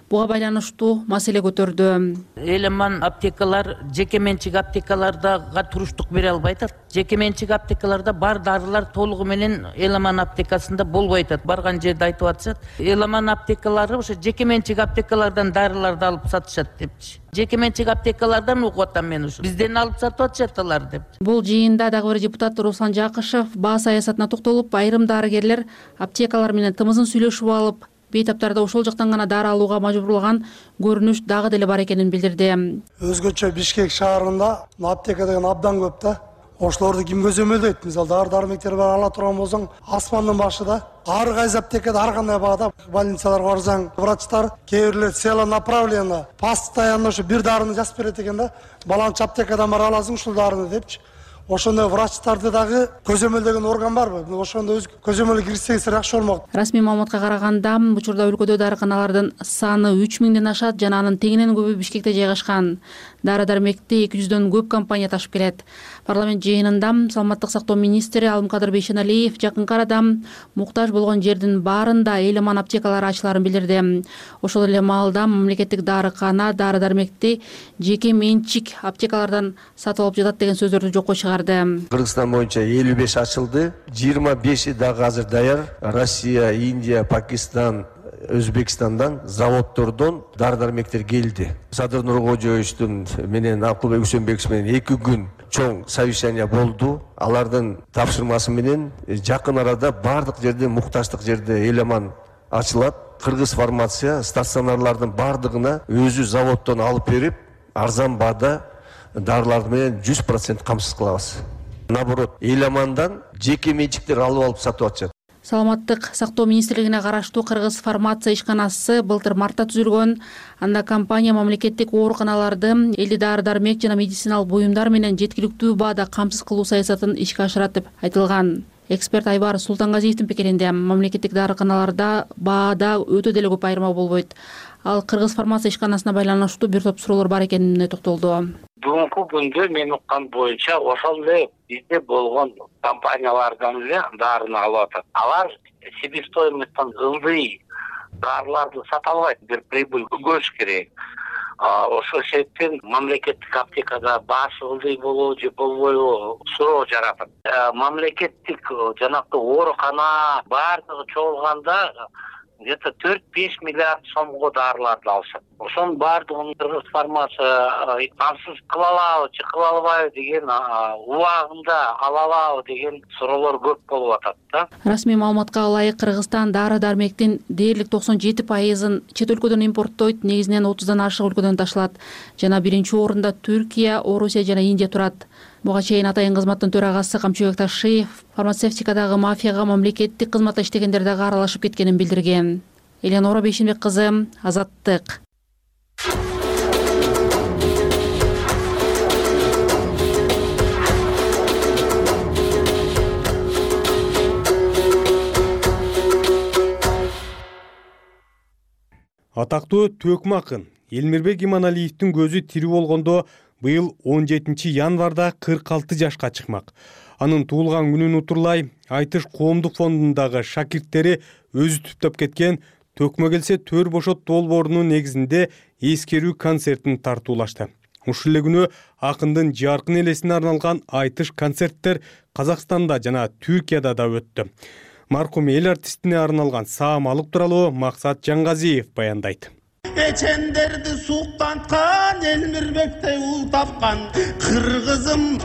буга байланыштуу маселе көтөрдү. Эл-аман аптекалар жеке менчик аптекаларга туруштук бере албайт. Жеке менчик аптекаларда бар дарылар толугу менен эл-аман аптекасында болбой атат. Барган жерде айтып атышат. Эл-аман аптекалары ошо жеке менчик аптекалардан дарыларды алып сатышат депчи. Жеке менчик аптекалардан угуп атам мен ушу. Бизден алып сатып атышат алар деп. Бул жыйында дагы бир депутат Руслан Жакышев баа саясатына токтолуп, айрым дарыгерлер аптекалар менен тымызын сүйлөшүп алып, бейтаптарда ошол жактан гана дары алууга мажбурлаган көрүнүш дагы деле бар экенин билдирди. Өзгөчө Бишкек шаарында аптека деген абдан көп да. Ошолорду ким көзөмөлдөйт? Мисалы дары-дармектер бар ала турган болсоң, асмандын башыда ар кайсы аптекада ар кандай баада больницаларга барсаң, врачтар кээ бирлер цело направление постоянно ошо бир дарыны жазып берет экен да. Баланчы аптекадан бара аласың ушул дарыны депчи. Ошондой врачтарды дагы көзөмөлдөгөн орган барбы? Ошондо өз көзөмөлгө кирсеңиз жакшы болмок. Расмий маалыматка караганда, учурда өлкөдө дарыканалардын саны 3000ден ашат жана анын тегинен көбү Бишкекте жайгашкан. Дары-дармекти 200дөн көп компания ташып келет. Парламент жыйынында Саламаттык сактоо министри Алымкадыр Бейшеналиев жакынкы арада муктаж болгон жердин баарында эл-аман аптекалары ачыларын билдирди. Ошол эле маалда мамлекеттик дарыкана дары-дармекти жеке менчик аптекалардан сатып алып жатат деген сөздөрдү жокко чыгарды. Кыргызстан боюнча 55 ачылды, 25 дагы азыр даяр. Россия, Индия, Пакистан, Өзбекстандан заводдордон дары-дармектер келди. Садыр Нуркожоевичтин менен Акылбек Үсөнбекович менен 2 күн чоң совещание болду. Алардын тапшырмасы менен жакын арада бардык жерде муктаждык жерде эл-аман ачылат. Кыргыз фармация стационарлардын бардыгына өзү заводдон алып берип, арзан баада дарыларды менен 100% камсыз кылабыз. Наоборот, эл-амандан жеке менчиктер алып сатып атышат. Саламаттык сактоо министрлигине караштуу Кыргыз фармация ишканасы былтыр мартта түзүлгөн. Анда компания мамлекеттик ооруканаларды элди дары-дармек жана медициналык буюмдар менен жеткиликтүү баада камсыз кылуу саясатын ишке ашырат деп айтылган. Эксперт Айбар Султангазиевдин пикиринде, мамлекеттик дарыканаларда баада өтө деле көп айырма болбойт. Ал Кыргыз фармация ишканасына байланыштуу бир топ суроолор бар экенине токтолду. Бүгүнкү күндө мен уккан боюнча ошол эле бизде болгон компаниялардан эле дарыны алып атат. Алар себестоимосттон ылдый дарыларды сата албайт, бир прибыль көрүш керек. Ошол себептен мамлекеттик аптекада баасы ылдый болобу же болбойбу суроо жаратат. Мамлекеттик жанакы оорукана баардыгы чогулганда где-то 4-5 миллиард сомго дарыларды алышат. Ошонун баардыгын Кыргыз фармация камсыз кыла алабы же кыла албайбы деген убагында ала алабы деген суроолор көп болуп атат да. Расмий маалыматка ылайык Кыргызстан дары-дармектин дээрлик 97%-ын чет өлкөдөн импорттойт, негизинен 30дан ашык өлкөдөн ташылат. Жана биринчи орунда Түркия, Орусия жана Индия турат. Буга чейин Атайын кызматтын төрагасы Камчыбек Ташиев фармацевтикадагы мафияга мамлекеттик кызматта иштегендер дагы аралашып кеткенин билдирген. Элеонора Бейшенбек кызы, Азаттык. Атактуу төкмө акын Элмирбек Иманалиевдин көзү тирүү болгондо быйыл 17 январда 46 жашка чыкмак. Анын туулган күнүн утурлай Айтыш коомдук фондундагы шакирттери өзү түптөп кеткен Төкмө келсе төр бошот долбоорунун негизинде эскерүү концертин тартуулашты. Ушул эле күнү акындын жаркын элесине арналган Айтыш концерттер Казакстанда жана Түркияда да өттү. Маркум эл артистине арналган саамалык тууралуу Максат Жангазиев баяндайт. Эчендерди суктанткан Элмирбекте ул тапкан кыргызым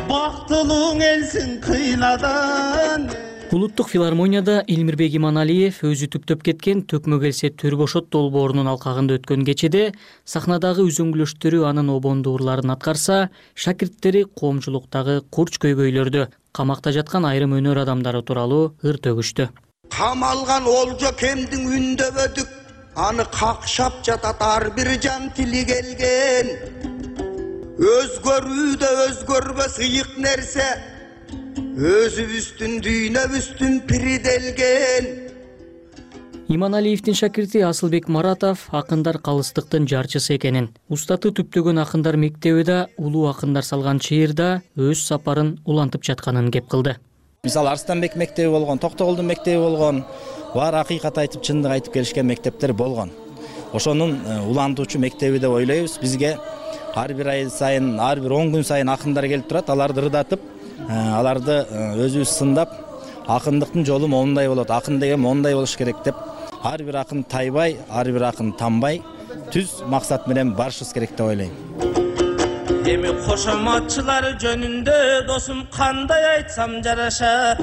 бактылууң элсиң кыйнадан. Улуттук филармонияда Элмирбек Иманалиев өзү түптөп кеткен «Төкмө келсе төр бошот» долбоорунун алкагында өткөн кечеде сахнадагы үзөңгүлөштөрү анын обондуу ырларын аткарса, шакирттери коомчулуктагы курч көйгөйлөрдү, камакта жаткан айрым өнөр адамдары тууралуу ыр төгүштү. Камалган олжо кемдин үндөбөдүк, аны какшап жатат ар бир жан тили келген. Өзгөрүүдө өзгөрбөс ыйык нерсе, өзүбүздүн дүйнөбүздүн пириделген. Иманалиевдин шакирти Асылбек Маратов акындар калыстыктын жарчысы экенин, устаты түптөгөн акындар мектеби да улуу акындар салган чыйырда өз сапарын улантып жатканын кеп кылды. Мисалы Арстанбек мектеби болгон, Токтогулдун мектеби болгон, бар акыйкат айтып, чындык айтып келишкен мектептер болгон. Ошонун улантуучу мектеби деп ойлойбуз. Бизге ар бир ай сайын, ар бир 10 күн сайын акындар келип турат, аларды ырдатып, аларды өзүбүз сындап, акындыктын жолу моундай болот, акын деген моундай болуш керек деп, ар бир акын тайбай, ар бир акын танбай, түз максат менен барышыбыз керек деп ойлойм. Эми кошоматчылар жөнүндө досум кандай айтсам жарашат.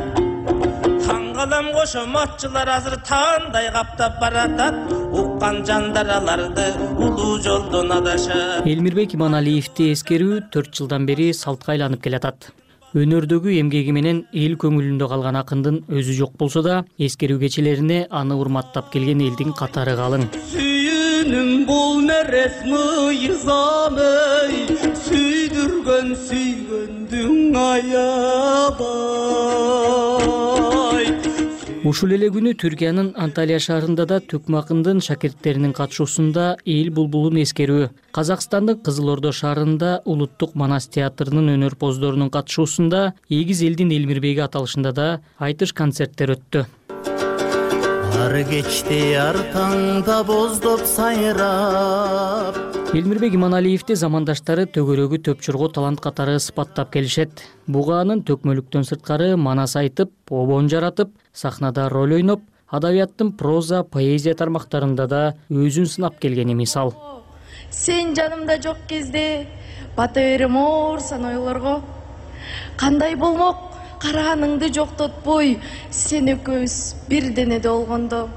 Таң калам кошоматчылар азыр тандай каптап баратат. Уккан жандар аларды улуу жолдон адашат. Элмирбек Иманалиевди эскерүү 4 жылдан бери салтка айланып келатат. Өнөрдөгү эмгеги менен эл көңүлүндө калган акындын өзү жок болсо да, эскерүү кечелерине аны урматтап келген элдин катары калың. Сүйүнүм бул нерес мыйзамый, сүйдүргөн сүйгөндүң аябай. Ушул эле күнү Түркиянын Анталия шаарында да Төкмө акындын шакирттеринин катышуусунда эл булбулун эскерүү, Казакстандын Кызыл Ордо шаарында Улуттук Манас театрынын өнөрпоздорунун катышуусунда Эгиз элдин Элмирбеги аталышында да айтыш концерттер өттү. Ар кечте ар таңда боздоп сайрап. Элмирбек Иманалиевди замандаштары төгөрөгү төпчурго талант катары сыпаттап келишет. Буга анын төкмөлүктөн сырткары манас айтып, обон жаратып, сахнада роль ойноп, адабияттын проза, поэзия тармактарында да өзүн сынап келгени мисал. Сен жанымда жок кезде бата берем оорсан ойлорго. Кандай болмок караганыңды жоктотпой, сен экөөбүз бир денеде болгондо.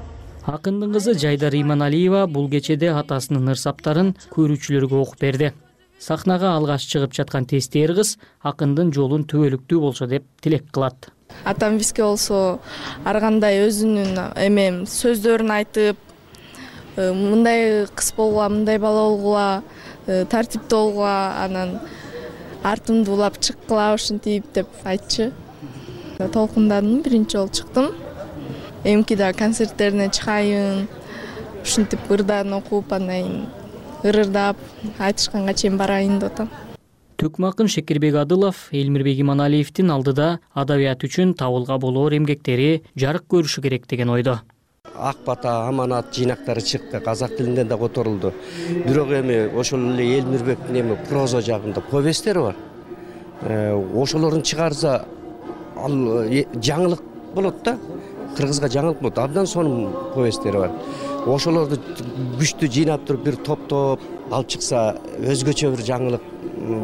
Акындын кызы Жайдар Иманалиева бул кечеде атасынын ырсаптарын көрүүчүлөргө окуп берди. Сахнага алгаш чыгып жаткан тестер кыз акындын жолун түбөлүктүү болсо деп тилек кылат. Атам бизге болсо ар кандай өзүнүн сөздөрүн айтып, мындай кыз болгула, мындай бала болгула, тартиптүү болгула, анан артымды улап чыккыла ушинтип деп айтчы. Толкундадым, биринчи жолу чыктым. Эмки да концерттерине чыгайын, ушинтип ырдарын окуп, андан ырдап, айтышканга чейин барайын деп атам. Төкмө акын Шекербек Адылов Элмирбек Иманалиевдин алдыда адабият үчүн табылга болоор эмгектери жарык көрүшү керек деген ойдо. Ак бата, аманат жыйнактары чыкты, казак тилинде да которулду. Бирок эми ошол эле Элмирбектин эми проза жагында повесттери бар. Ошолорун чыгарса ал жаңылык болот да. Кыргызга жаңылык болот. Абдан сонун повесттери бар. Ошолорду күчтүү жыйнап туруп бир топтоп алып чыкса өзгөчө бир жаңылык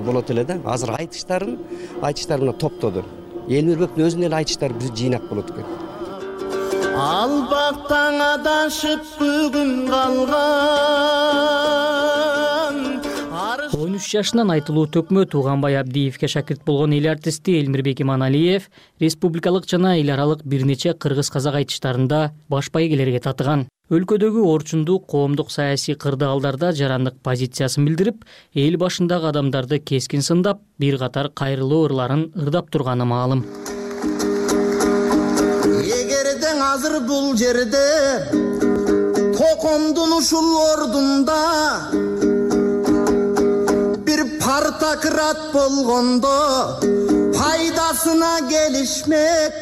болот эле да. Азыр айтыштары мына топтоду. Элмирбектин өзүнүн эле айтыштары бир жыйнак болот экен. Албактан адашып бүгүн калган. 13 жашынан айтылуу Төкмө Тууганбай Абдиевке шакирт болгон эл артисти Элмирбек Иманалиев республикалык жана эл аралык бир нече кыргыз-казак айтыштарында баш байгелерге татыган. Өлкөдөгү орчундук, коомдук, саясий кырдаалдарда жарандык позициясын билдирип, эл башындагы адамдарды кескин сындап, бир катар кайрылуу ырларын ырдап турганы маалым. Эгерден азыр бул жерде токомдун ушул ордунда бир партократ болгондо пайдасына келишмек.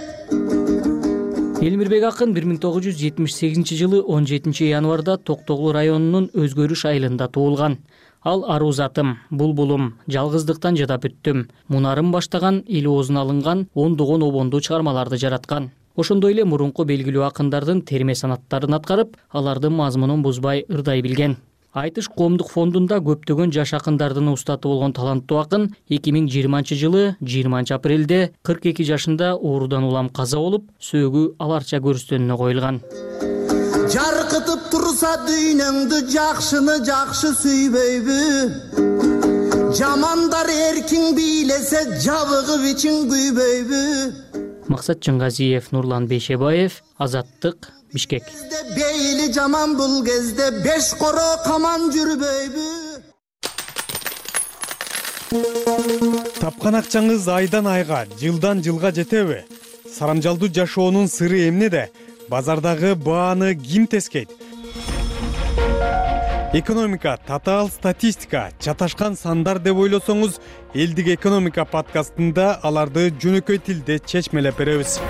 Элмирбек акын 1978 жылы 17 январда Токтогул районунун Өзгөрүш айылында туулган. Ал Арузатым, Булбулум, Жалгыздыктан жадап өттүм, Мунарым баштаган эл оозуна алынган ондогон обондуу чыгармаларды жараткан. Ошондой эле мурунку белгилүү акындардын терме санаттарын аткарып, алардын мазмунун бузбай ырдай билген. Айтыш коомдук фондунда көптөгөн жаш акындардын устаты болгон таланттуу акын 2020-жылы 20 апрелде 42 жашында оорудан улам каза болуп, сөөгү аларча көрүстөнүнө коюлган. Жаркытып турса дүйнөңдү жакшыны жакшы сүйбөйбү, жамандар эркин бийлесе жабыгып ичин күйбөйбү. Максат Чыңгазиев, Нурлан Бейшебаев, Азаттык, Бишкек. Бейли жаман бул кезде 5 коро каман жүрбөйбү. Тапкан акчаңыз айдан айга, жылдан жылга жетеби? Сарамжалдуу жашоонун сыры эмнеде? Базардагы бааны ким тескейт? Экономика, татаал статистика, чаташкан сандар деп ойлосоңуз, Элдик экономика подкастында аларды жөнөкөй тилде чечмелеп беребиз.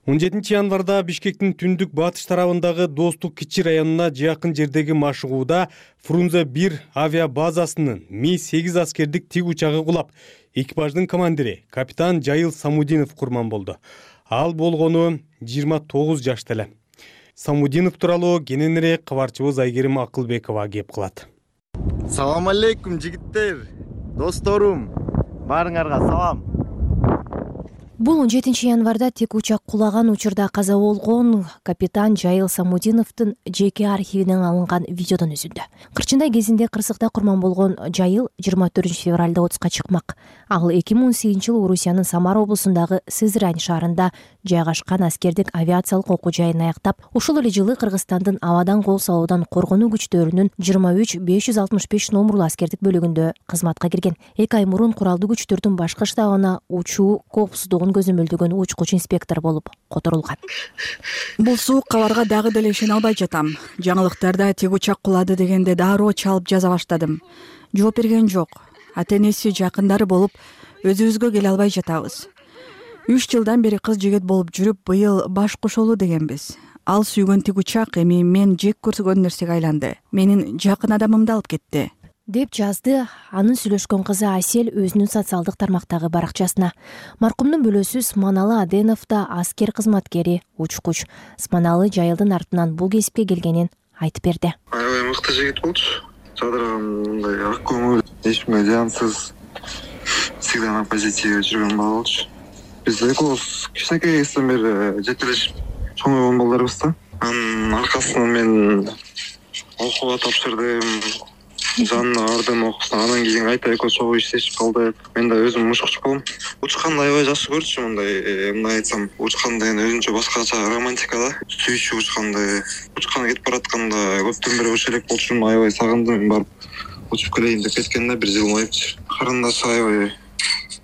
Он 7 январда Бишкектин түндүк батыш тарабындагы Достук кичи районуна жакын жердеги машыгууда Фрунзе 1 авиа базасынын Ми-8 аскердик тик учагы кулап, экипаждын командири капитан Жайыл Самудинов курман болду. Ал болгону 29 жашта эле. Самудинов тууралуу кененирээк кабарчыбыз Айгерим Акылбекова кеп кылат. Салам алейкум жигиттер, досторум, баарыңарга салам. Бул 17 январда тик учак кулаган учурда каза болгон капитан Жайыл Самудиновдун жеке архивинен алынган видеодон үзүндү. Кырчындай кезинде кырсыкта курман болгон Жайыл 24 февралда отузга чыкмак. Ал 2018-жылы Орусиянын Самара облусундагы Сызрань шаарында жайгашкан аскердик авиациялык окуу жайын аяктап, ошол эле жылы Кыргызстандын абадан кол салуудан коргонуу күчтөрүнүн 23-565 номурлуу аскердик бөлүгүндө кызматка кирген. 2 ай мурун куралдуу күчтөрдүн башкы штабына учуу коопсуздугун көзөмөлдөгөн учкуч инспектор болуп которулган. Бул суук кабарга дагы деле ишене албай жатам. Жаңылыктарда тик учак кулады дегенде дароо чалып жаза баштадым. Жооп берген жок. Ата-энеси, жакындары болуп, өзүбүзгө келе албай жатабыз. 3 жылдан бери кыз жигит болуп жүрүп, быйыл баш кошолуу дегенбиз. Ал сүйгөн тик учак эми мен жек көргөн нерсеге айланды. Менин жакын адамымды алып кетти, деп жазды анын сүйлөшкөн кызы Асель өзүнүн социалдык тармактагы баракчасына. Маркумдун бөлөсү Сманалы Аденов да аскер кызматкери, учкуч. Сманалы Жайылдын артынан бул кесипке келгенин айтып берди. Аябай мыкты жигит болчу. Жадырган мындай ак көңүл, эчкимге зыянсыз, всегда на позитиве жүргөн бала болчу. Биз экөөбүз кичинекей кезден бери жетелешип чоңойгон балдарбыз да. Анын аркасынан мен окууга тапшырдым. Жанына ардым окусун, анан кийин кайта экөө чогуу иштешип калдык. Мен да өзүм учкуч болом. Учканды аябай жакшы көрчүм, мындай айтсам, учкан деген өзүнчө башкача романтика да. Сүйчү учканды. Учкан кетип баратканда көптөн бери учу элек болчумун, аябай сагындым, мен барып учуп келейин деп кеткен да, 1 жылмайыпчы. Карындаш аябай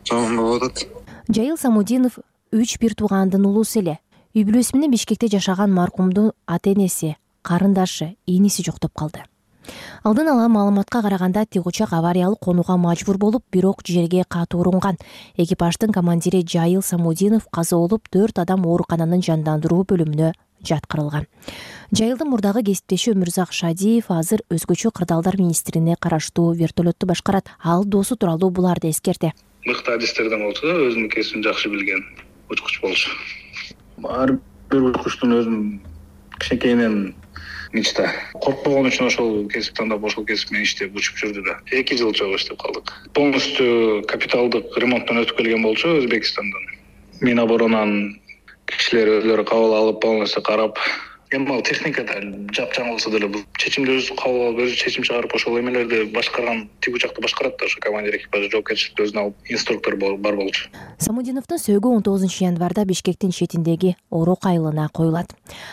жаман болуп атат. Жайыл Самудинов 3 бир туугандын улуусу эле. Үй бүлөсү менен Бишкекте жашаган маркумдун ата-энеси, карындашы, ийниси жоктоп калды. Алдын ала маалыматка караганда тик учак авариялык конууга мажбур болуп, бирок жерге катуу урунган. Экипаждын командири Жайыл Самудинов каза болуп, 4 адам оорукананын жандандыруу бөлүмүнө жаткырылган. Жайылдын мурдагы кесиптеши Өмүрзак Шадиев азыр өзгөчө кырдаалдар министрине караштуу вертолетту башкарат. Ал досу тууралуу буларды эскерди. Мыкты адистерден болчу да, өзүнүн кесибин жакшы билген учкуч болчу. Ар бир учкучтун өзүнүн кичинекейинен мечта. Коркпогон үчүн ошол кесип тандап, ошол кесип менен иштеп учуп жүрдү да. 2 жыл чогуу иштеп калдык. Полностью капиталдык ремонттон өтүп келген болчу Өзбекстандан. Миноборонан кишилер өзлөрү кабыл алып, полностью карап, эми ал техникада жапжаң болсо деле бул чечимди өзү кабыл алып, өзү чечим чыгарып, ошол эмелерди башкарган тик учакты башкарат да, ошо командир экипажы жоопкерчиликти өзүнө алып, инструктор бар болчу. Самудиновдун сөөгү 19 январда Бишкектин четиндеги Орок айылына коюлат.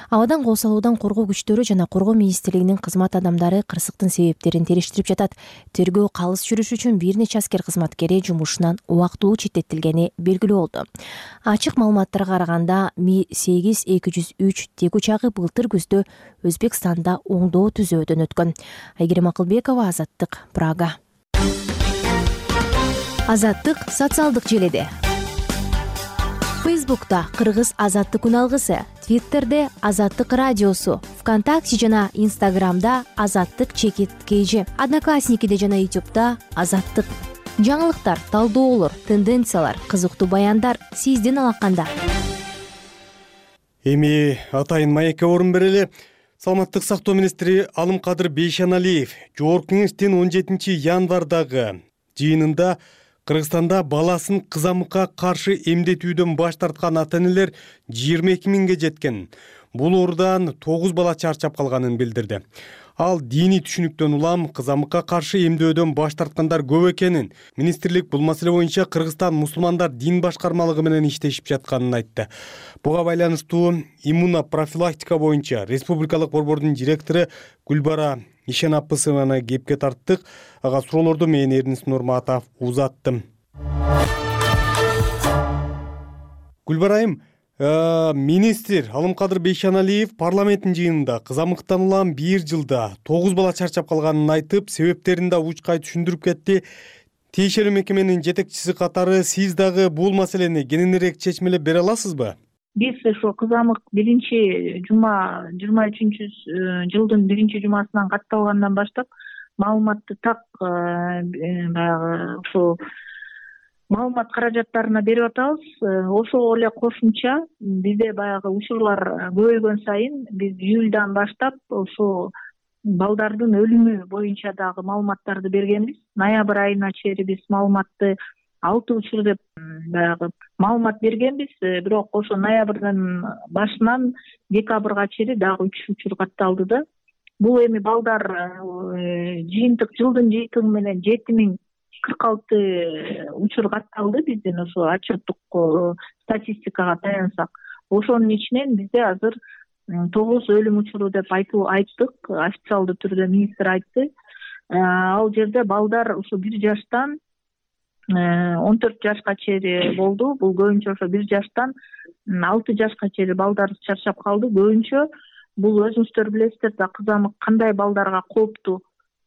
Абадан кол салуудан коргоо күчтөрү жана коргоо министрлигинин кызмат адамдары кырсыктын себептерин териштирип жатат. Тергөө калыс жүрүш үчүн бир нече аскер кызматкери жумушунан убактылуу четтетилгени белгилүү болду. Ачык маалыматтарга караганда Ми-8-203 тик учагы былтыр күздө Өзбекстанда оңдоо түзөөдөн өткөн. Айгерим Акылбекова, Азаттык, Прага. Азаттык социалдык желеде. Фейсбукта Кыргыз Азаттык үналгысы, Твиттерде Азаттык радиосу, ВКонтакте жана Инстаграмда Азаттык _KG, Одноклассникиде жана Ютубта Азаттык. Жаңылыктар, талдоолор, тенденциялар, кызыктуу баяндар сиздин алаканда. Эми атайын маекке орун берели. Саламаттык сактоо министри Алымкадыр Бейшеналиев Жогорку Кеңештин 17 январдагы жыйынында Кыргызстанда баласын кызамыкка каршы эмдетүүдөн баш тарткан ата-энелер 22 миңге жеткен. Бул оорудан 9 бала чарчап калганын билдирди. Ал диний түшүнүктөн улам кызамыкка каршы эмдөөдөн баш тарткандар көп экенин, министрлик бул маселе боюнча Кыргызстан мусулмандар дин башкармалыгы менен иштешип жатканын айтты. Буга байланыштуу иммунопрофилактика боюнча республикалык борбордун директору Гүлбара Ишенапысованы кепке тарттык. Ага суроолорду мен Эрнис Нурматов узаттым. Гүлбара айым, министр Алымкадыр Бейшеналиев парламенттин жыйынында кызамыктан улам 1 жылда 9 бала чарчап калганын айтып, себептерин да учкай түшүндүрүп кетти. Тиешелүү мекеменин жетекчиси катары сиз дагы бул маселени кененирээк чечмелеп бере аласызбы? Биз ошо кызамык 23-жылдын 1-жумасынан катталгандан баштап маалыматты так баягы ошо маалымат каражаттарына берип атабыз. Ошого эле кошумча бизде баягы учурлар көбөйгөн сайын биз июльдан баштап ошо балдардын өлүмү боюнча дагы маалыматтарды бергенбиз. Ноябрь айына чейин биз маалыматты 6 учур деп баягы маалымат бергенбиз. Бирок ошо ноябрдын башынан декабрга чейин дагы 3 учур катталды да. Бул эми балдар жыйынтык жылдын жыйынтыгы менен 7046 учур катталды биздин ошо отчеттук статистикага таянсак. Ошонун ичинен бизде азыр 9 өлүм учуру деп айттык. Официалдуу түрдө министр айтты. Ал жерде балдар ошо 1 жаштан 14 жашка чейин болду. Бул көбүнчө ошо 1 жаштан 6 жашка чейин балдар чарчап калды. Көбүнчө бул өзүңүздөр билесиздер да, кызамык кандай балдарга кооптуу.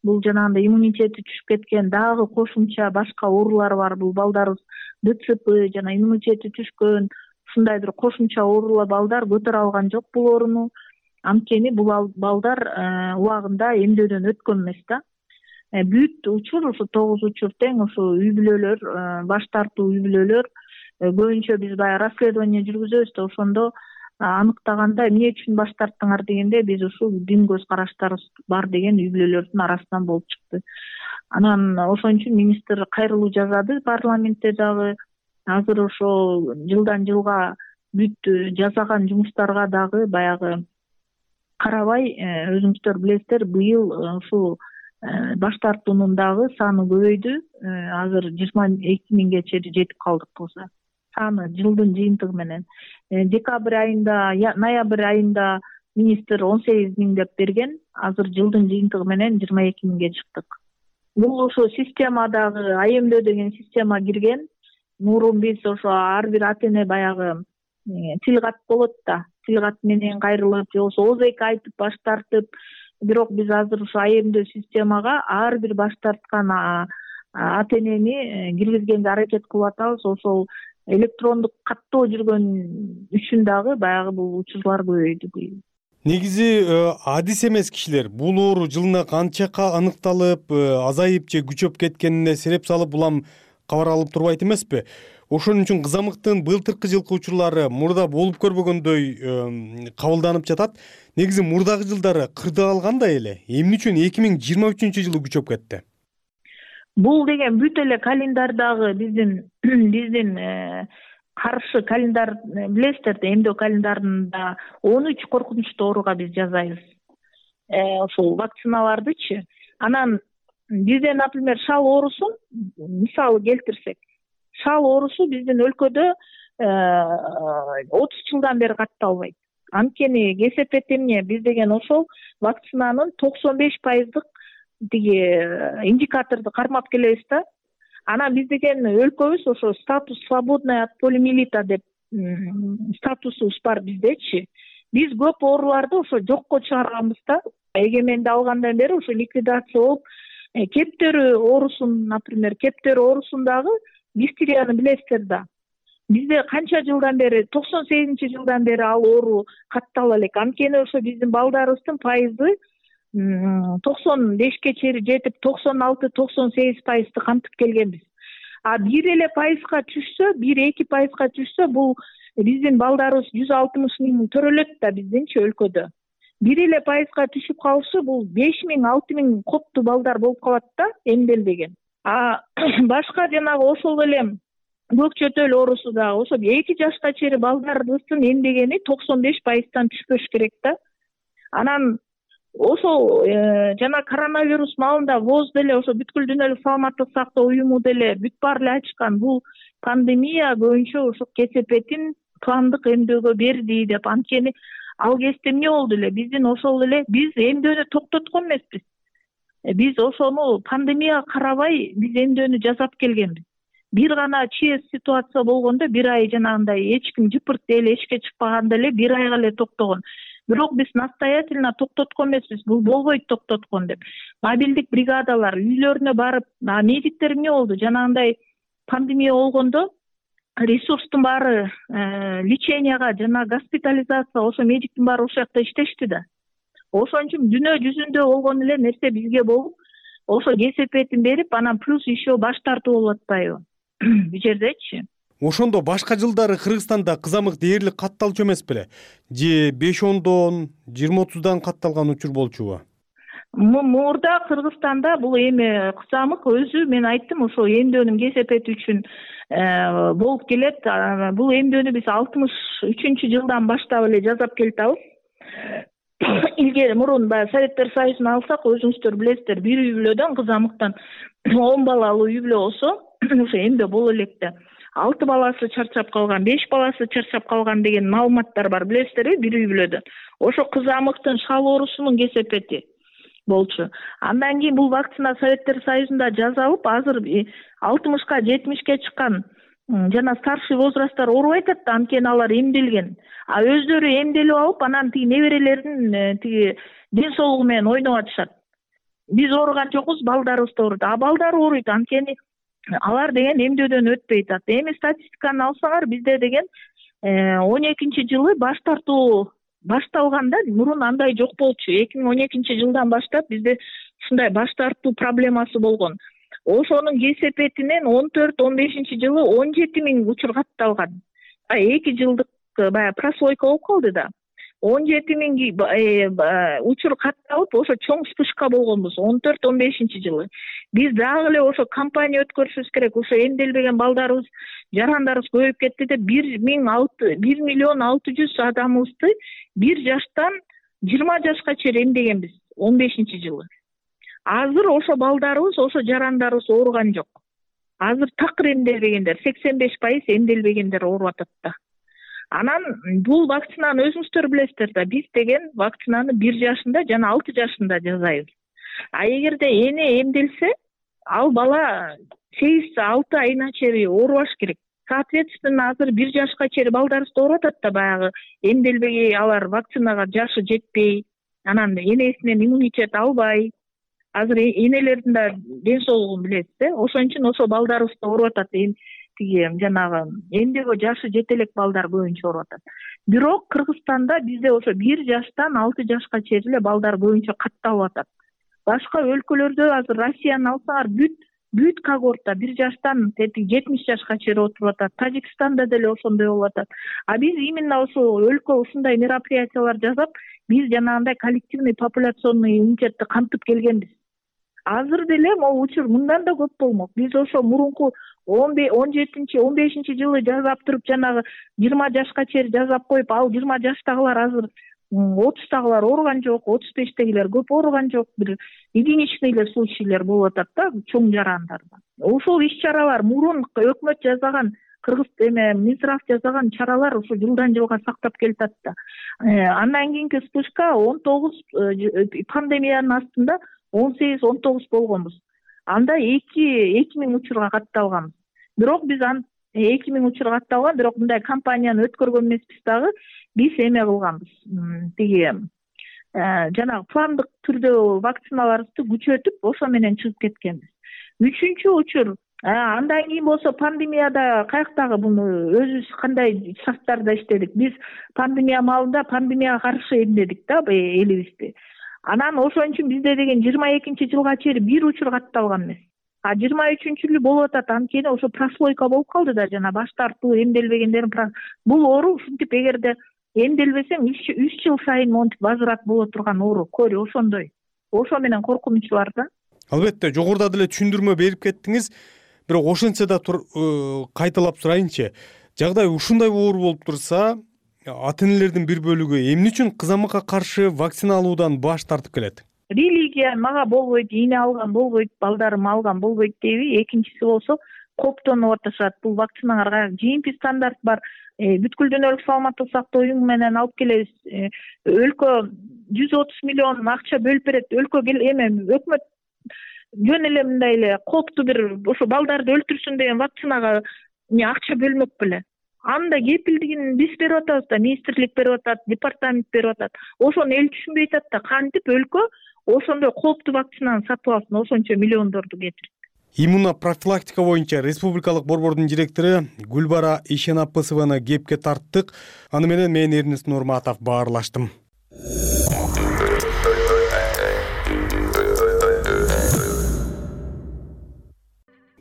Бул жанагындай иммунитети түшүп кеткен, дагы кошумча башка оорулар бар. Бул балдарыбыз ДЦП жана иммунитети түшкөн, ушундай бир кошумча оорулар балдар көтөрө алган жок бул ооруну. Анткени бул балдар убагында эмдөөдөн өткөн эмес да. Бүт учур ошо 9 учур тең ошо үй бүлөлөр, баш тартуу үй бүлөлөр. Көбүнчө биз баягы расследование жүргүзөбүз да, ошондо аныктаганда эмне үчүн баш тарттыңар дегенде биз ушул дин көз караштарыбыз бар деген үй бүлөлөрдүн арасынан болуп чыкты. Анан ошон үчүн министр кайрылуу жасады парламентте дагы. Азыр ошо жылдан жылга бүт жасаган жумуштарга дагы баягы карабай, өзүңүздөр билесиздер, быйыл ушул баш тартуунун дагы саны көбөйдү. Азыр 22 миңге чейин жетип калдык болсо. Саны жылдын жыйынтыгы менен. Декабрь айында, ноябрь айында министр 18 миң деп берген. Азыр жылдын жыйынтыгы менен 22 миңге чыктык. Бул ошо системадагы АМД деген система кирген. Мурун биз ошо ар бир ата-эне баягы тил кат болот да. Тил кат менен кайрылып, же болбосо ооз эки айтып баш тартып. Бирок биз азыр ошо АМД системага ар бир баш тарткан ата-энени киргизгенге аракет кылып атабыз. Ошол электрондук каттоо жүргөн үчүн дагы баягы бул учурлар көбөйдү быйыл. Негизи адис эмес кишилер бул оору жылына канча аныкталып, азайып же күчөп кеткенине сереп салып улам кабар алып турбайт эмеспи? Ошон үчүн кызамыктын былтыркы жылкы учурлары мурда болуп көрбөгөндөй кабылданып жатат. Негизи мурдагы жылдары кырдаалгандай эле. Эмне үчүн 2023-жылы күчөп кетти? Бул деген бүт эле календардагы биздин каршы календар билесиздер да, эмдөө календарында 13 коркунучтуу ооруга биз жазайбыз. Ошол вакциналардычы. Анан бизде, например, шал оорусун мисалы келтирсек, шал оорусу биздин өлкөдө 30 жылдан бери катталбайт. Анткени кесепет эмне? Биз деген ошол вакцинанын 95% тиги индикаторду кармап келебиз да. Анан биз деген өлкөбүз ошо статус свободная от полиомиелита деп статусубуз бар биздечи. Биз көп ооруларды ошо жокко чыгарганбыз да. Эгеменди алгандан бери ошо ликвидация болуп, кептөрү оорусун, например, кептөрү оорусундагы дифтерияны билесиздер да. Бизде канча жылдан бери, 98-жылдан бери ал оору каттала элек. Анткени ошо биздин балдарыбыздын пайызы 95ке чейин жетип 96-98% кантып келгенбиз. А 1 эле пайызга түшсө, 1-2% түшсө, бул биздин балдарыбыз 160 миң төрөлөт да биздинчи өлкөдө. 1% түшүп калышы бул 5 миң 6 миң копту балдар болуп калат да эмделбеген. Башка жанагы ошол эле көк чөтөл оорусу дагы ошо 2 жашка чейин балдарыбыздын эмдегени 95%тан түшпөш керек да. Анан ошол жана коронавирус маалында ВОЗ деле ошо бүткүл дүйнөлүк саламаттык сактоо уюму деле бүт баары эле ачкан бул пандемия боюнча ошо кесепетин пландык эмдөөгө берди деп. Анткени ал кезде эмне болду эле биздин ошол эле биз эмдөөнү токтоткон эмеспиз. Биз ошону пандемияга карабай биз эмдөөнү жасап келгенбиз. Бир гана ЧС ситуация болгондо 1 ай жанагындай эч ким жыпырт эле эшикке чыкпаганда эле 1 айга эле токтогон. Бирок биз настоятельно токтоткон эмеспиз. Бул болбойт токтоткон деп. Мобилдик бригадалар үйлөрүнө барып, медиктер эмне болду? Жанагындай пандемия болгондо ресурстун баары леченияга жана госпитализация ошо медиктин баары ошол жакта иштешти да. Ошон үчүн дүйнө жүзүндө болгон эле нерсе бизге болуп, ошо кесепетин берип, анан плюс еще баш тартуу болуп атпайбы? Бул жердечи. Ошондо башка жылдары Кыргызстанда кызамык дээрлик катталчу эмес беле? Же 5-10дон, 20-30дан катталган учур болчубу? Мурда Кыргызстанда бул эми кызамык өзү мен айттым ошо эмдөөнүн кесепети үчүн болуп келет. Бул эмдөөнү биз 63-жылдан баштап эле жасап келатабыз. Илгери мурун баягы Советтер Союзун алсак, өзүңүздөр билесиздер, бир үй бүлөдөн кызамыктан 10 балалуу үй бүлө болсо, ошо эмдөө боло элек да. 6 баласы чарчап калган, 5 баласы чарчап калган деген маалыматтар бар, билесиздерби, бир үй бүлөдө. Ошо кызамыктын шал оорусунун кесепети болчу. Андан кийин бул вакцина Советтер Союзунда жасалып, азыр 60-ка, 70-ке чыккан жана старший возрасттар оорубай атат да, анткени алар эмделген. Өздөрү эмделип алып, анан тиги неберелердин тиги ден соолугу менен ойноп атышат. Биз ооруган жокпуз, балдарыбыз да ооруйт. Балдар ооруйт, анткени алар деген эмдөөдөн өтпөй атат. Эми статистиканы алсаңар, бизде деген 12-жылы баш тартуу башталганда мурун андай жок болчу. 2012-жылдан баштап бизде ушундай баш тартуу проблемасы болгон. Ошонун кесепетинен 14-15-жылы 17 миң учур катталган. 2 жылдык баягы прослойка болуп калды да. 17 миң учур катталып, ошо чоң вспышка болгонбуз 14-15-жылы. Биз дагы эле ошо кампания өткөрүшүбүз керек. Ошо эмделбеген балдарыбыз, жарандарыбыз көбөйүп кетти деп 1 миллион 600 адамыбызды 1 жаштан 20 жашка чейин эмдегенбиз 15-жылы. Азыр ошо балдарыбыз, ошо жарандарыбыз ооруган жок. Азыр такыр эмделбегендер, 85% эмделбегендер ооруп атат да. Анан бул вакцинаны өзүңүздөр билесиздер да, биз деген вакцинаны 1 жашында жана 6 жашында жасайбыз. Эгерде эне эмделсе, ал бала 8-6 айына чейин оорубаш керек. Соответственно, азыр 1 жашка чейин балдарыбыз ооруп атат да, баягы эмделбегей, алар вакцинага жашы жетпей, анан энесинен иммунитет албай. Азыр энелердин да ден соолугун билесиз, ошон үчүн ошо балдарыбыз ооруп атат. Тиги жанагы эмдөөгө жашы жете элек балдар боюнча ооруп атат. Бирок Кыргызстанда бизде ошо 1 жаштан 6 жашка чейин эле балдар боюнча катталып атат. Башка өлкөлөрдө азыр Россияны алсаңар, бүт когорта 1 жаштан 70 жашка чейин отуруп атат. Тажикстанда деле ошондой болуп атат. Биз именно ошо өлкө ушундай мероприятиялар жасап, биз жанагындай коллективный популяционный иммунитетти кантып келгенбиз. Азыр деле могу учур мындан да көп болмок. Биз ошо мурунку 17-15-жылы жасап туруп, жанагы 20 жашка чейин жасап коюп, ал 20 жаштагылар азыр 30-тагылар ооруган жок, 35-тегилер көп ооруган жок. Бир единичный случайлар болуп атат да, чоң жарандарда. Ошол иш-чаралар мурун өкмөт жасаган, Кыргыз Минздрав жасаган чаралар ошо жылдан жылга сактап келатат да. Андан кийинки вспышка 19 пандемиянын астында 18-19 болгонбуз. Анда 2 миң учурга катталганбыз. Бирок биз 2 миң учурга катталган, бирок мындай кампанияны өткөргөн эмеспиз дагы. Биз эме кылганбыз. Тиги жанагы пландык түрдө вакциналарыбызды күчөтүп, ошо менен чыгып кеткенбиз. 3-үчү учур, андан кийин болсо пандемияда каяктагы буну өзүбүз кандай шарттарда иштедик. Биз пандемия маалында пандемияга каршы эмдедик да элибизди. Анан ошон үчүн бизде деген 22-жылга чейин 1 учур катталган эмес. А 23-жылы болуп атат, анткени ошо прослойка болуп калды да, жана баш тартуу, эмделбегендердин бул оору ушинтип эгерде эмделбесең 3 жыл сайын монтип возврат боло турган оору, көрү ошондой. Ошо менен коркунуч бар да. Албетте, жогоруда деле түшүндүрмө берип кеттиңиз. Бирок ошентсе да кайталап сурайынчы. Жагдай ушундай оор болуп турса, ата-энелердин бир бөлүгү эмне үчүн кызамыкка каршы вакцина алуудан баш тартып келет? Религия мага болбойт, ийне алган болбойт, балдарым алган болбойт дейби. Экинчиси болсо коптонуп атышат. Бул вакциналарга GMP стандарт бар. Бүткүл дүйнөлүк саламаттык сактоо уюму менен алып келебиз. Өлкө 130 миллион акча бөлүп берет. Өлкө өкмөт жөн эле мындай эле копту бир ошо балдарды өлтүрсүн деген вакцинага акча бөлмөк беле. Анда кепилдигин биз берип атабыз да, министрлик берип атат, департамент берип атат. Ошону эл түшүнбөй атат да, кантип өлкө ошондой копту вакцинаны сатып алсын, ошончо миллиондорду кетирип. Иммунопрофилактика боюнча республикалык борбордун директору Гүлбара Ишенапысованы кепке тарттык. Аны менен мен Эрнест Нурматов баарлаштым.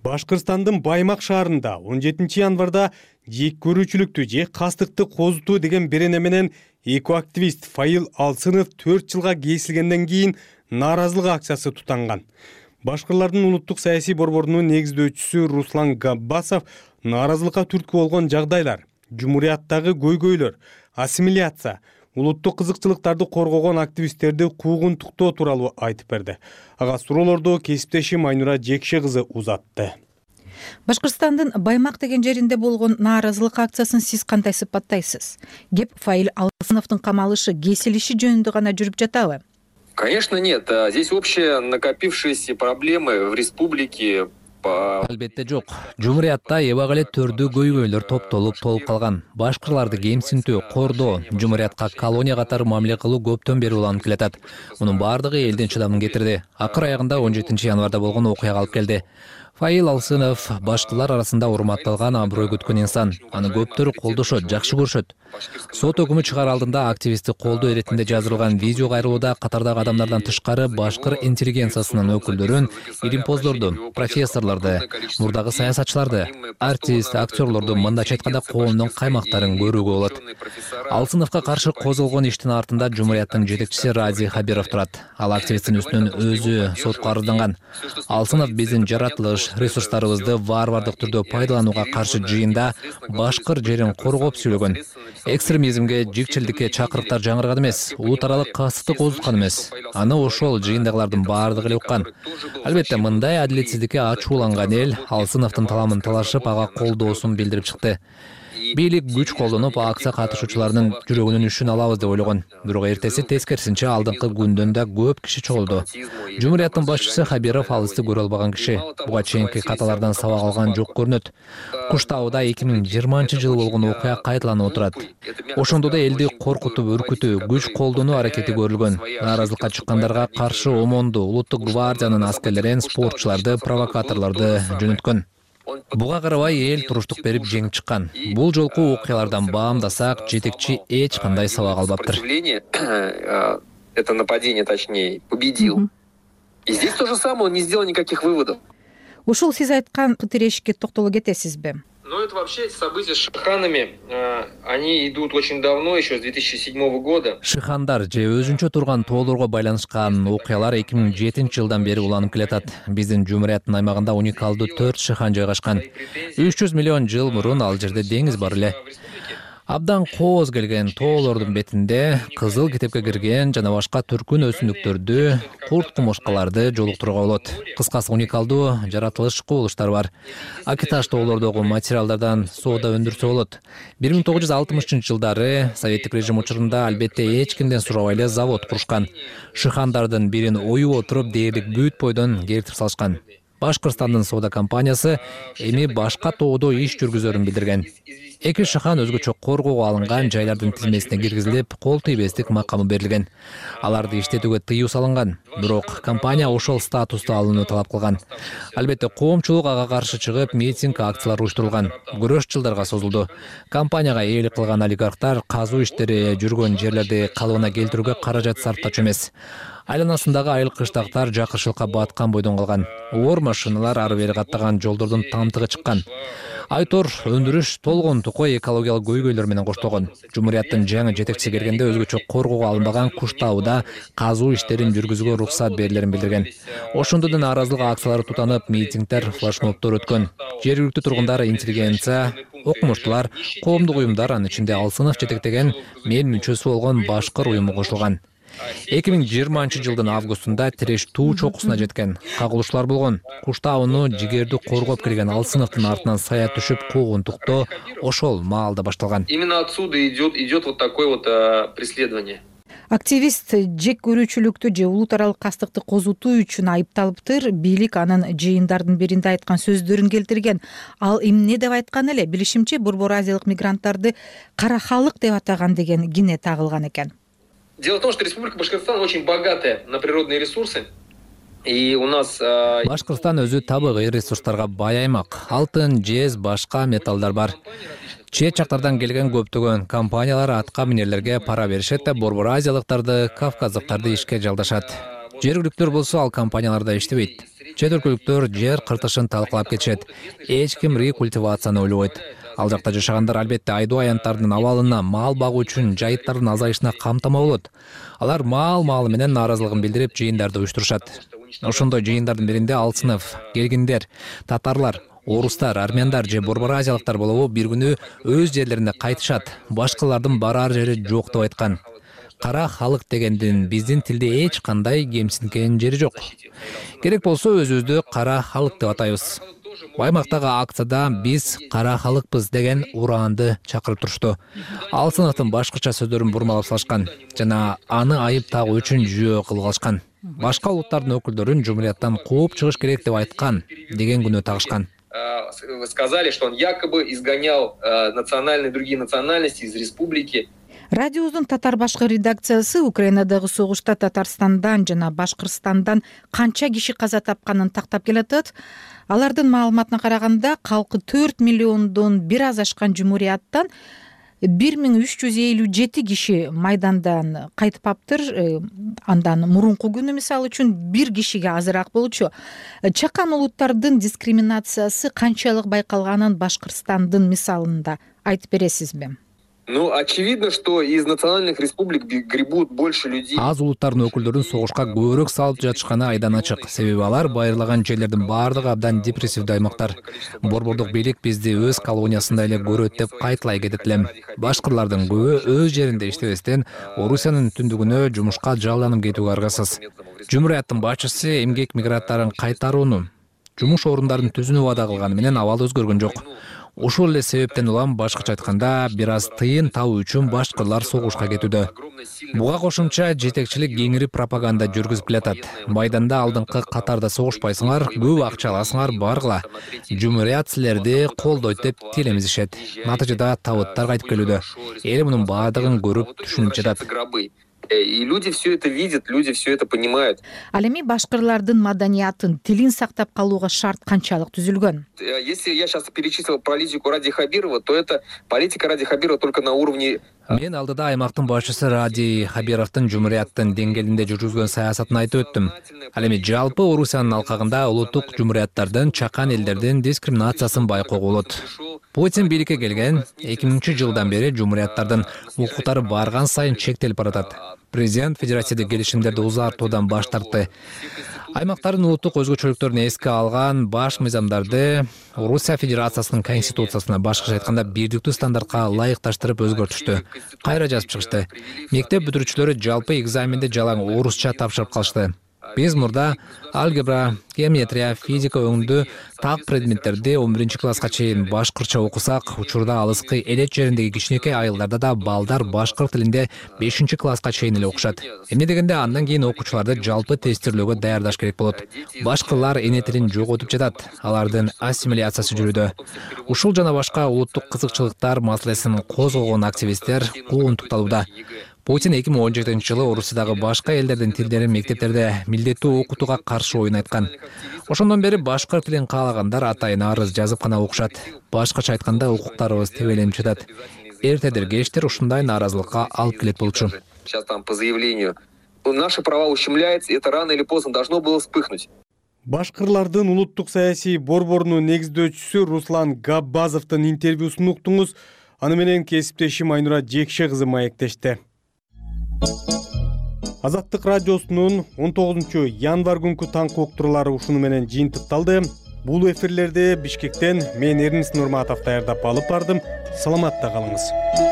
Башкырстандын Баймак шаарында 17 январда жек көрүүчүлүктү же кастыкты козутуу деген берене менен экоактивист Файыл Алсынов 4 жылга кесилгенден кийин нааразылык акциясы тутанган. Башкырлардын улуттук саясий борборунун негиздөөчүсү Руслан Габбасов нааразылыкка түрткү болгон жагдайлар, жумурияттагы көйгөйлөр, ассимиляция, улуттук кызыкчылыктарды коргогон активисттерди куугунтуктоо тууралуу айтып берди. Ага суроолорду кесиптешим Айнура Жекше кызы узатты. Башкырстандын Баймак деген жеринде болгон нааразылык акциясын сиз кандай сыпаттайсыз? Кеп Файыл Алсыновдун камалышы, кесилиши жөнүндө гана жүрүп жатабы? Конечно, нет. Здесь общие накопившиеся проблемы в республике. Албетте жок. Жумуриятта эбак эле төрдүү көйгөйлөр топтолуп толуп калган. Башкырларды кемсинтүү, кордоо, жумуриятка колония катары мамиле кылуу көптөн бери уланып келатат. Мунун баардыгы элдин чыдамын кетирди. Акыр аягында 17 январда болгон окуяга алып келди. Файыл Алсынов башкылар арасында урматталган, аброй күткөн инсан. Аны көптөр колдошот, жакшы көрүшөт. Сот өкүмү чыгаар алдында активистти колдоо иретинде жаздырылган видео кайрылууда катардагы адамдардан тышкары башкыр интеллигенциясынын өкүлдөрүн, илимпоздорду, профессорлорду, мурдагы саясатчыларды, артист, актерлорду, мындайча айтканда коомдун каймактарын көрүүгө болот. Алсыновго каршы козголгон иштин артында жумурияттын жетекчиси Ради Хабиров турат. Ал активисттин үстүнөн өзү сотко арызданган. Алсынов биздин жаратылыш, ресурстарыбызды варвардык түрдө пайдаланууга каршы жыйында башкыр жерин коргоп сүйлөгөн. Экстремизмге, жикчилдикке чакырыктар жаңырган эмес, улут аралык кастыкты козуткан эмес. Аны ошол жыйындагылардын баардыгы эле уккан. Албетте, мындай адилетсиздикке ачууланган эл Алсыновдун таламын талашып, ага колдоосун билдирип чыкты. Бийлик күч колдонуп, акция катышуучуларынын жүрөгүнүн үшүн алабыз деп ойлогон. Бирок эртеси тескерисинче алдыңкы күндөн да көп киши чогулду. Жумурияттын башчысы Хабиров алысты көрө албаган киши. Буга чейинки каталардан сабак алган жок көрүнөт. Куштауда 2020-жылы болгон окуя кайталанып отурат. Ошондо да элди коркутуп, үркүтүү, күч колдонуу аракети көрүлгөн. Нааразылыкка чыккандарга каршы ОМОНду, улуттук гвардиянын аскерлерин, спортчуларды, провокаторлорду жөнөткөн. Буга карабай эл туруштук берип жеңип чыккан. Бул жолку окуялардан баамдасак, жетекчи эч кандай сабак албаптыр. Это нападение, точнее, победил. И здесь то же самое, он не сделал никаких выводов. Ушул сиз айткан тирешикке токтоло кетесизби? Ну, это вообще события с шиханами, они идут очень давно, еще с 2007 года. Шихандар же өзүнчө турган тоолорго байланышкан окуялар 2007-жылдан бери уланып келатат. Биздин жумурияттын аймагында уникалдуу 4 шихан жайгашкан. 300 миллион жыл мурун ал жерде деңиз бар эле. Абдан кооз келген тоолордун бетинде кызыл китепке кирген жана башка түркүн өсүмдүктөрдү, курт кумурскаларды жолуктурууга болот. Кыскасы уникалдуу жаратылыш кубулуштар бар. Акиташ тоолордогу материалдардан соода өндүрсө болот. 1960-жылдары советтик режим учурунда албетте эч кимден сурабай эле завод курушкан. Шихандардын бирин оюп отуруп дээрлик бүт бойдон кертип салышкан. Башкырстандын соода компаниясы эми башка тоодо иш жүргүзөрүн билдирген. Эки шахан өзгөчө коргоого алынган жайлардын тизмесине киргизилип, кол тийбестик макамы берилген. Аларды иштетүүгө тыюу салынган. Бирок компания ошол статусту алууну талап кылган. Албетте коомчулук ага каршы чыгып, митинг акциялар уюштурулган. Күрөш жылдарга созулду. Компанияга ээлик кылган олигархтар казуу иштери жүргөн жерлерди калыбына келтирүүгө каражат сарптачу эмес. Айланасындагы айыл кыштактар жакырчылыкка баткан бойдон калган. Оор машиналар ары бери каттаган жолдордун тамтыгы чыккан. Айтор өндүрүш толгон тукой экологиялык көйгөйлөр менен коштолгон. Жумурияттын жаңы жетекчиси келгенде өзгөчө коргоого алынбаган Куштауда казуу иштерин жүргүзүүгө уруксат берилерин билдирген. Ошондо да нааразылык акциялары тутанып, митингдер, флешмобдор өткөн. Жергиликтүү тургундар, интеллигенция, окумуштуулар, коомдук уюмдар, анын ичинде Алсынов жетектеген мен мүчөсү болгон Башкыр уюму кошулган. 2020 жылдын августунда Тереш туу чокусуна жеткен. Кагылышуулар болгон. Куштауну жигерди коргоп келген Алсыновдун артынан сая түшүп куугунтуктоо ошол маалда башталган. Именно отсюда идет вот такое вот преследование. Активист жек көрүүчүлүктү же улут аралык кастыкты козутуу үчүн айыпталыптыр. Бийлик анын жыйындардын биринде айткан сөздөрүн келтирген. Ал эмне деп айткан эле? Билишимче, Борбор Азиялык мигранттарды кара халык деп атаган деген кине тагылган экен. Дело в том, что Республика Башкортостан очень богатая на природные ресурсы. И у нас... Башкырстан өзү табигый ресурстарга бай аймак. Алтын, жез, башка металлдар бар. Чет жактардан келген көптөгөн компаниялар атка минерлерге пара беришет да Борбор Азиялыктарды, кавказдыктарды ишке жалдашат. Жергиликтүүлөр болсо ал компанияларда иштебейт. Чет өлкөлүктөр жер кыртышын талкалап кетишет. Эч ким рекультивацияны ойлобойт. Ал жакта жашагандар албетте айдоо аянттардын абалына, мал багуу үчүн жайыттардын азайышына камтама болот. Алар маалы менен нааразылыгын билдирип, жыйындарды уюштурушат. Ошондой жыйындардын биринде Алсынов, келгиндер, татарлар, орустар, армяндар же Борбор Азиялыктар болобу бир күнү өз жерлерине кайтышат. Башкалардын барар жери жок деп айткан. Кара халык дегендин биздин тилде эч кандай кемсинген жери жок. Керек болсо өзүбүздү кара халык деп атайбыз. Баймактагы акцияда биз кара халыкпыз деген ураанды чакырып турушту. Алсыновдун башкача сөздөрүн бурмалап салышкан жана аны айып тагуу үчүн жүйө кылып алышкан. Башка улуттардын өкүлдөрүн жумурияттан кууп чыгыш керек деп айткан деген күнөө тагышкан. Сказали, что он якобы изгонял другие национальности из республики. Радиобуздун татар башкы редакциясы Украинадагы согушта Татарстандан жана Башкырстандан канча киши каза тапканын тактап келатат. Алардын маалыматына караганда, калкы 4 миллиондон бир аз ашкан жумурияттан 1357 киши майдандан кайтыпаптыр. Андан мурунку күнү мисалы үчүн бир кишиге азыраак болчу. Чакан улуттардын дискриминациясы канчалык байкалганын Башкырстандын мисалында айтып бересизби? Ну, очевидно, что из национальных республик гребут больше людей. Аз улуттардын өкүлдөрүн согушка көбүрөөк салып жатышканы айдан ачык. Себеби алар байырлаган жерлердин баардыгы абдан депрессивдүү аймактар. Борбордук бийлик бизди өз колониясында эле көрөт деп кайталай кетет элем. Башкырлардын көбү өз жеринде иштебестен Орусиянын түндүгүнө жумушка жалданып кетүүгө аргасыз. Жумурияттын башчысы эмгек мигранттарын кайтарууну, жумуш орундарын түзүүнү убада кылганы менен абал өзгөргөн жок. Ошол эле себептен улам башкача айтканда бир аз тыйын табуу үчүн башкырлар согушка кетүүдө. Буга кошумча жетекчилик кеңири пропаганда жүргүзүп келатат. Майданда алдыңкы катарда согушпайсыңар, көп акча аласыңар, баргыла. Жумурият силерди колдойт деп тилемизишет. Натыйжада табыттар кайтып келүүдө. Эл мунун баардыгын көрүп түшүнүп жатат. И люди все это видят, люди все это понимают. Ал эми башкырлардын маданиятын, тилин сактап калууга шарт канчалык түзүлгөн? Если я сейчас перечислил политику Ради Хабирова, то это политика Ради Хабирова только на уровне... Мен алдыда аймактын башчысы Ради Хабировдун жумурияттын деңгээлинде жүргүзгөн саясатын айтып өттүм. Ал эми жалпы Орусиянын алкагында улуттук жумурияттардын, чакан элдердин дискриминациясын байкоого болот. Путин бийликке келген 2000-жылдан бери жумурияттардын укуктары барган сайын чектелип баратат. Президент федеративдик келишимдерди узартуудан баш тартты. Аймактардын улуттук өзгөчөлүктөрүн эске алган баш мыйзамдарды Орусия Федерациясынын конституциясына башкача айтканда бирдиктүү стандартка ылайыкташтырып өзгөртүштү. Кайра жазып чыгышты. Мектеп бүтүрүүчүлөрү жалпы экзаменде жалаң орусча тапшырып калышты. Биз мурда алгебра, геометрия, физика өңдүү так предметтерди 11-класска чейин башкыртча окусак, учурда алыскы элет жериндеги кичинекей айылдарда да балдар башкырт тилинде 5-класска чейин эле окушат. Эмне дегенде андан кийин окуучуларды жалпы тестирлөөгө даярдаш керек болот. Башкалар эне тилин жоготуп жатат, алардын ассимиляциясы жүрүүдө. Ушул жана башка улуттук кызыкчылыктар маселесин козгогон активисттер куугунтукталууда. Путин 2017-жылы Орусиядагы башка элдердин тилдерин мектептерде милдеттүү окутууга каршы оюн айткан. Ошондон бери башкырт тилин каалагандар атайын арыз жазып гана окушат. Башкача айтканда укуктарыбыз тебеленип жатат. Эртедир кечтир ушундай нааразылыкка алып келет болчу. Сейчас там по заявлению наши права ущемляются, это рано или поздно должно было вспыхнуть. Башкырлардын улуттук саясий борборунун негиздөөчүсү Руслан Габбазовдун интервьюсун уктуңуз. Аны менен кесиптешим Айнура Жекше кызы маектешти. Азаттык радиосунун 19-январ күнкү таңкы уктуруулары ушуну менен жыйынтыкталды. Бул эфирлерди Бишкектен мен Эрнис Нурматов даярдап алып бардым. Саламатта калыңыз.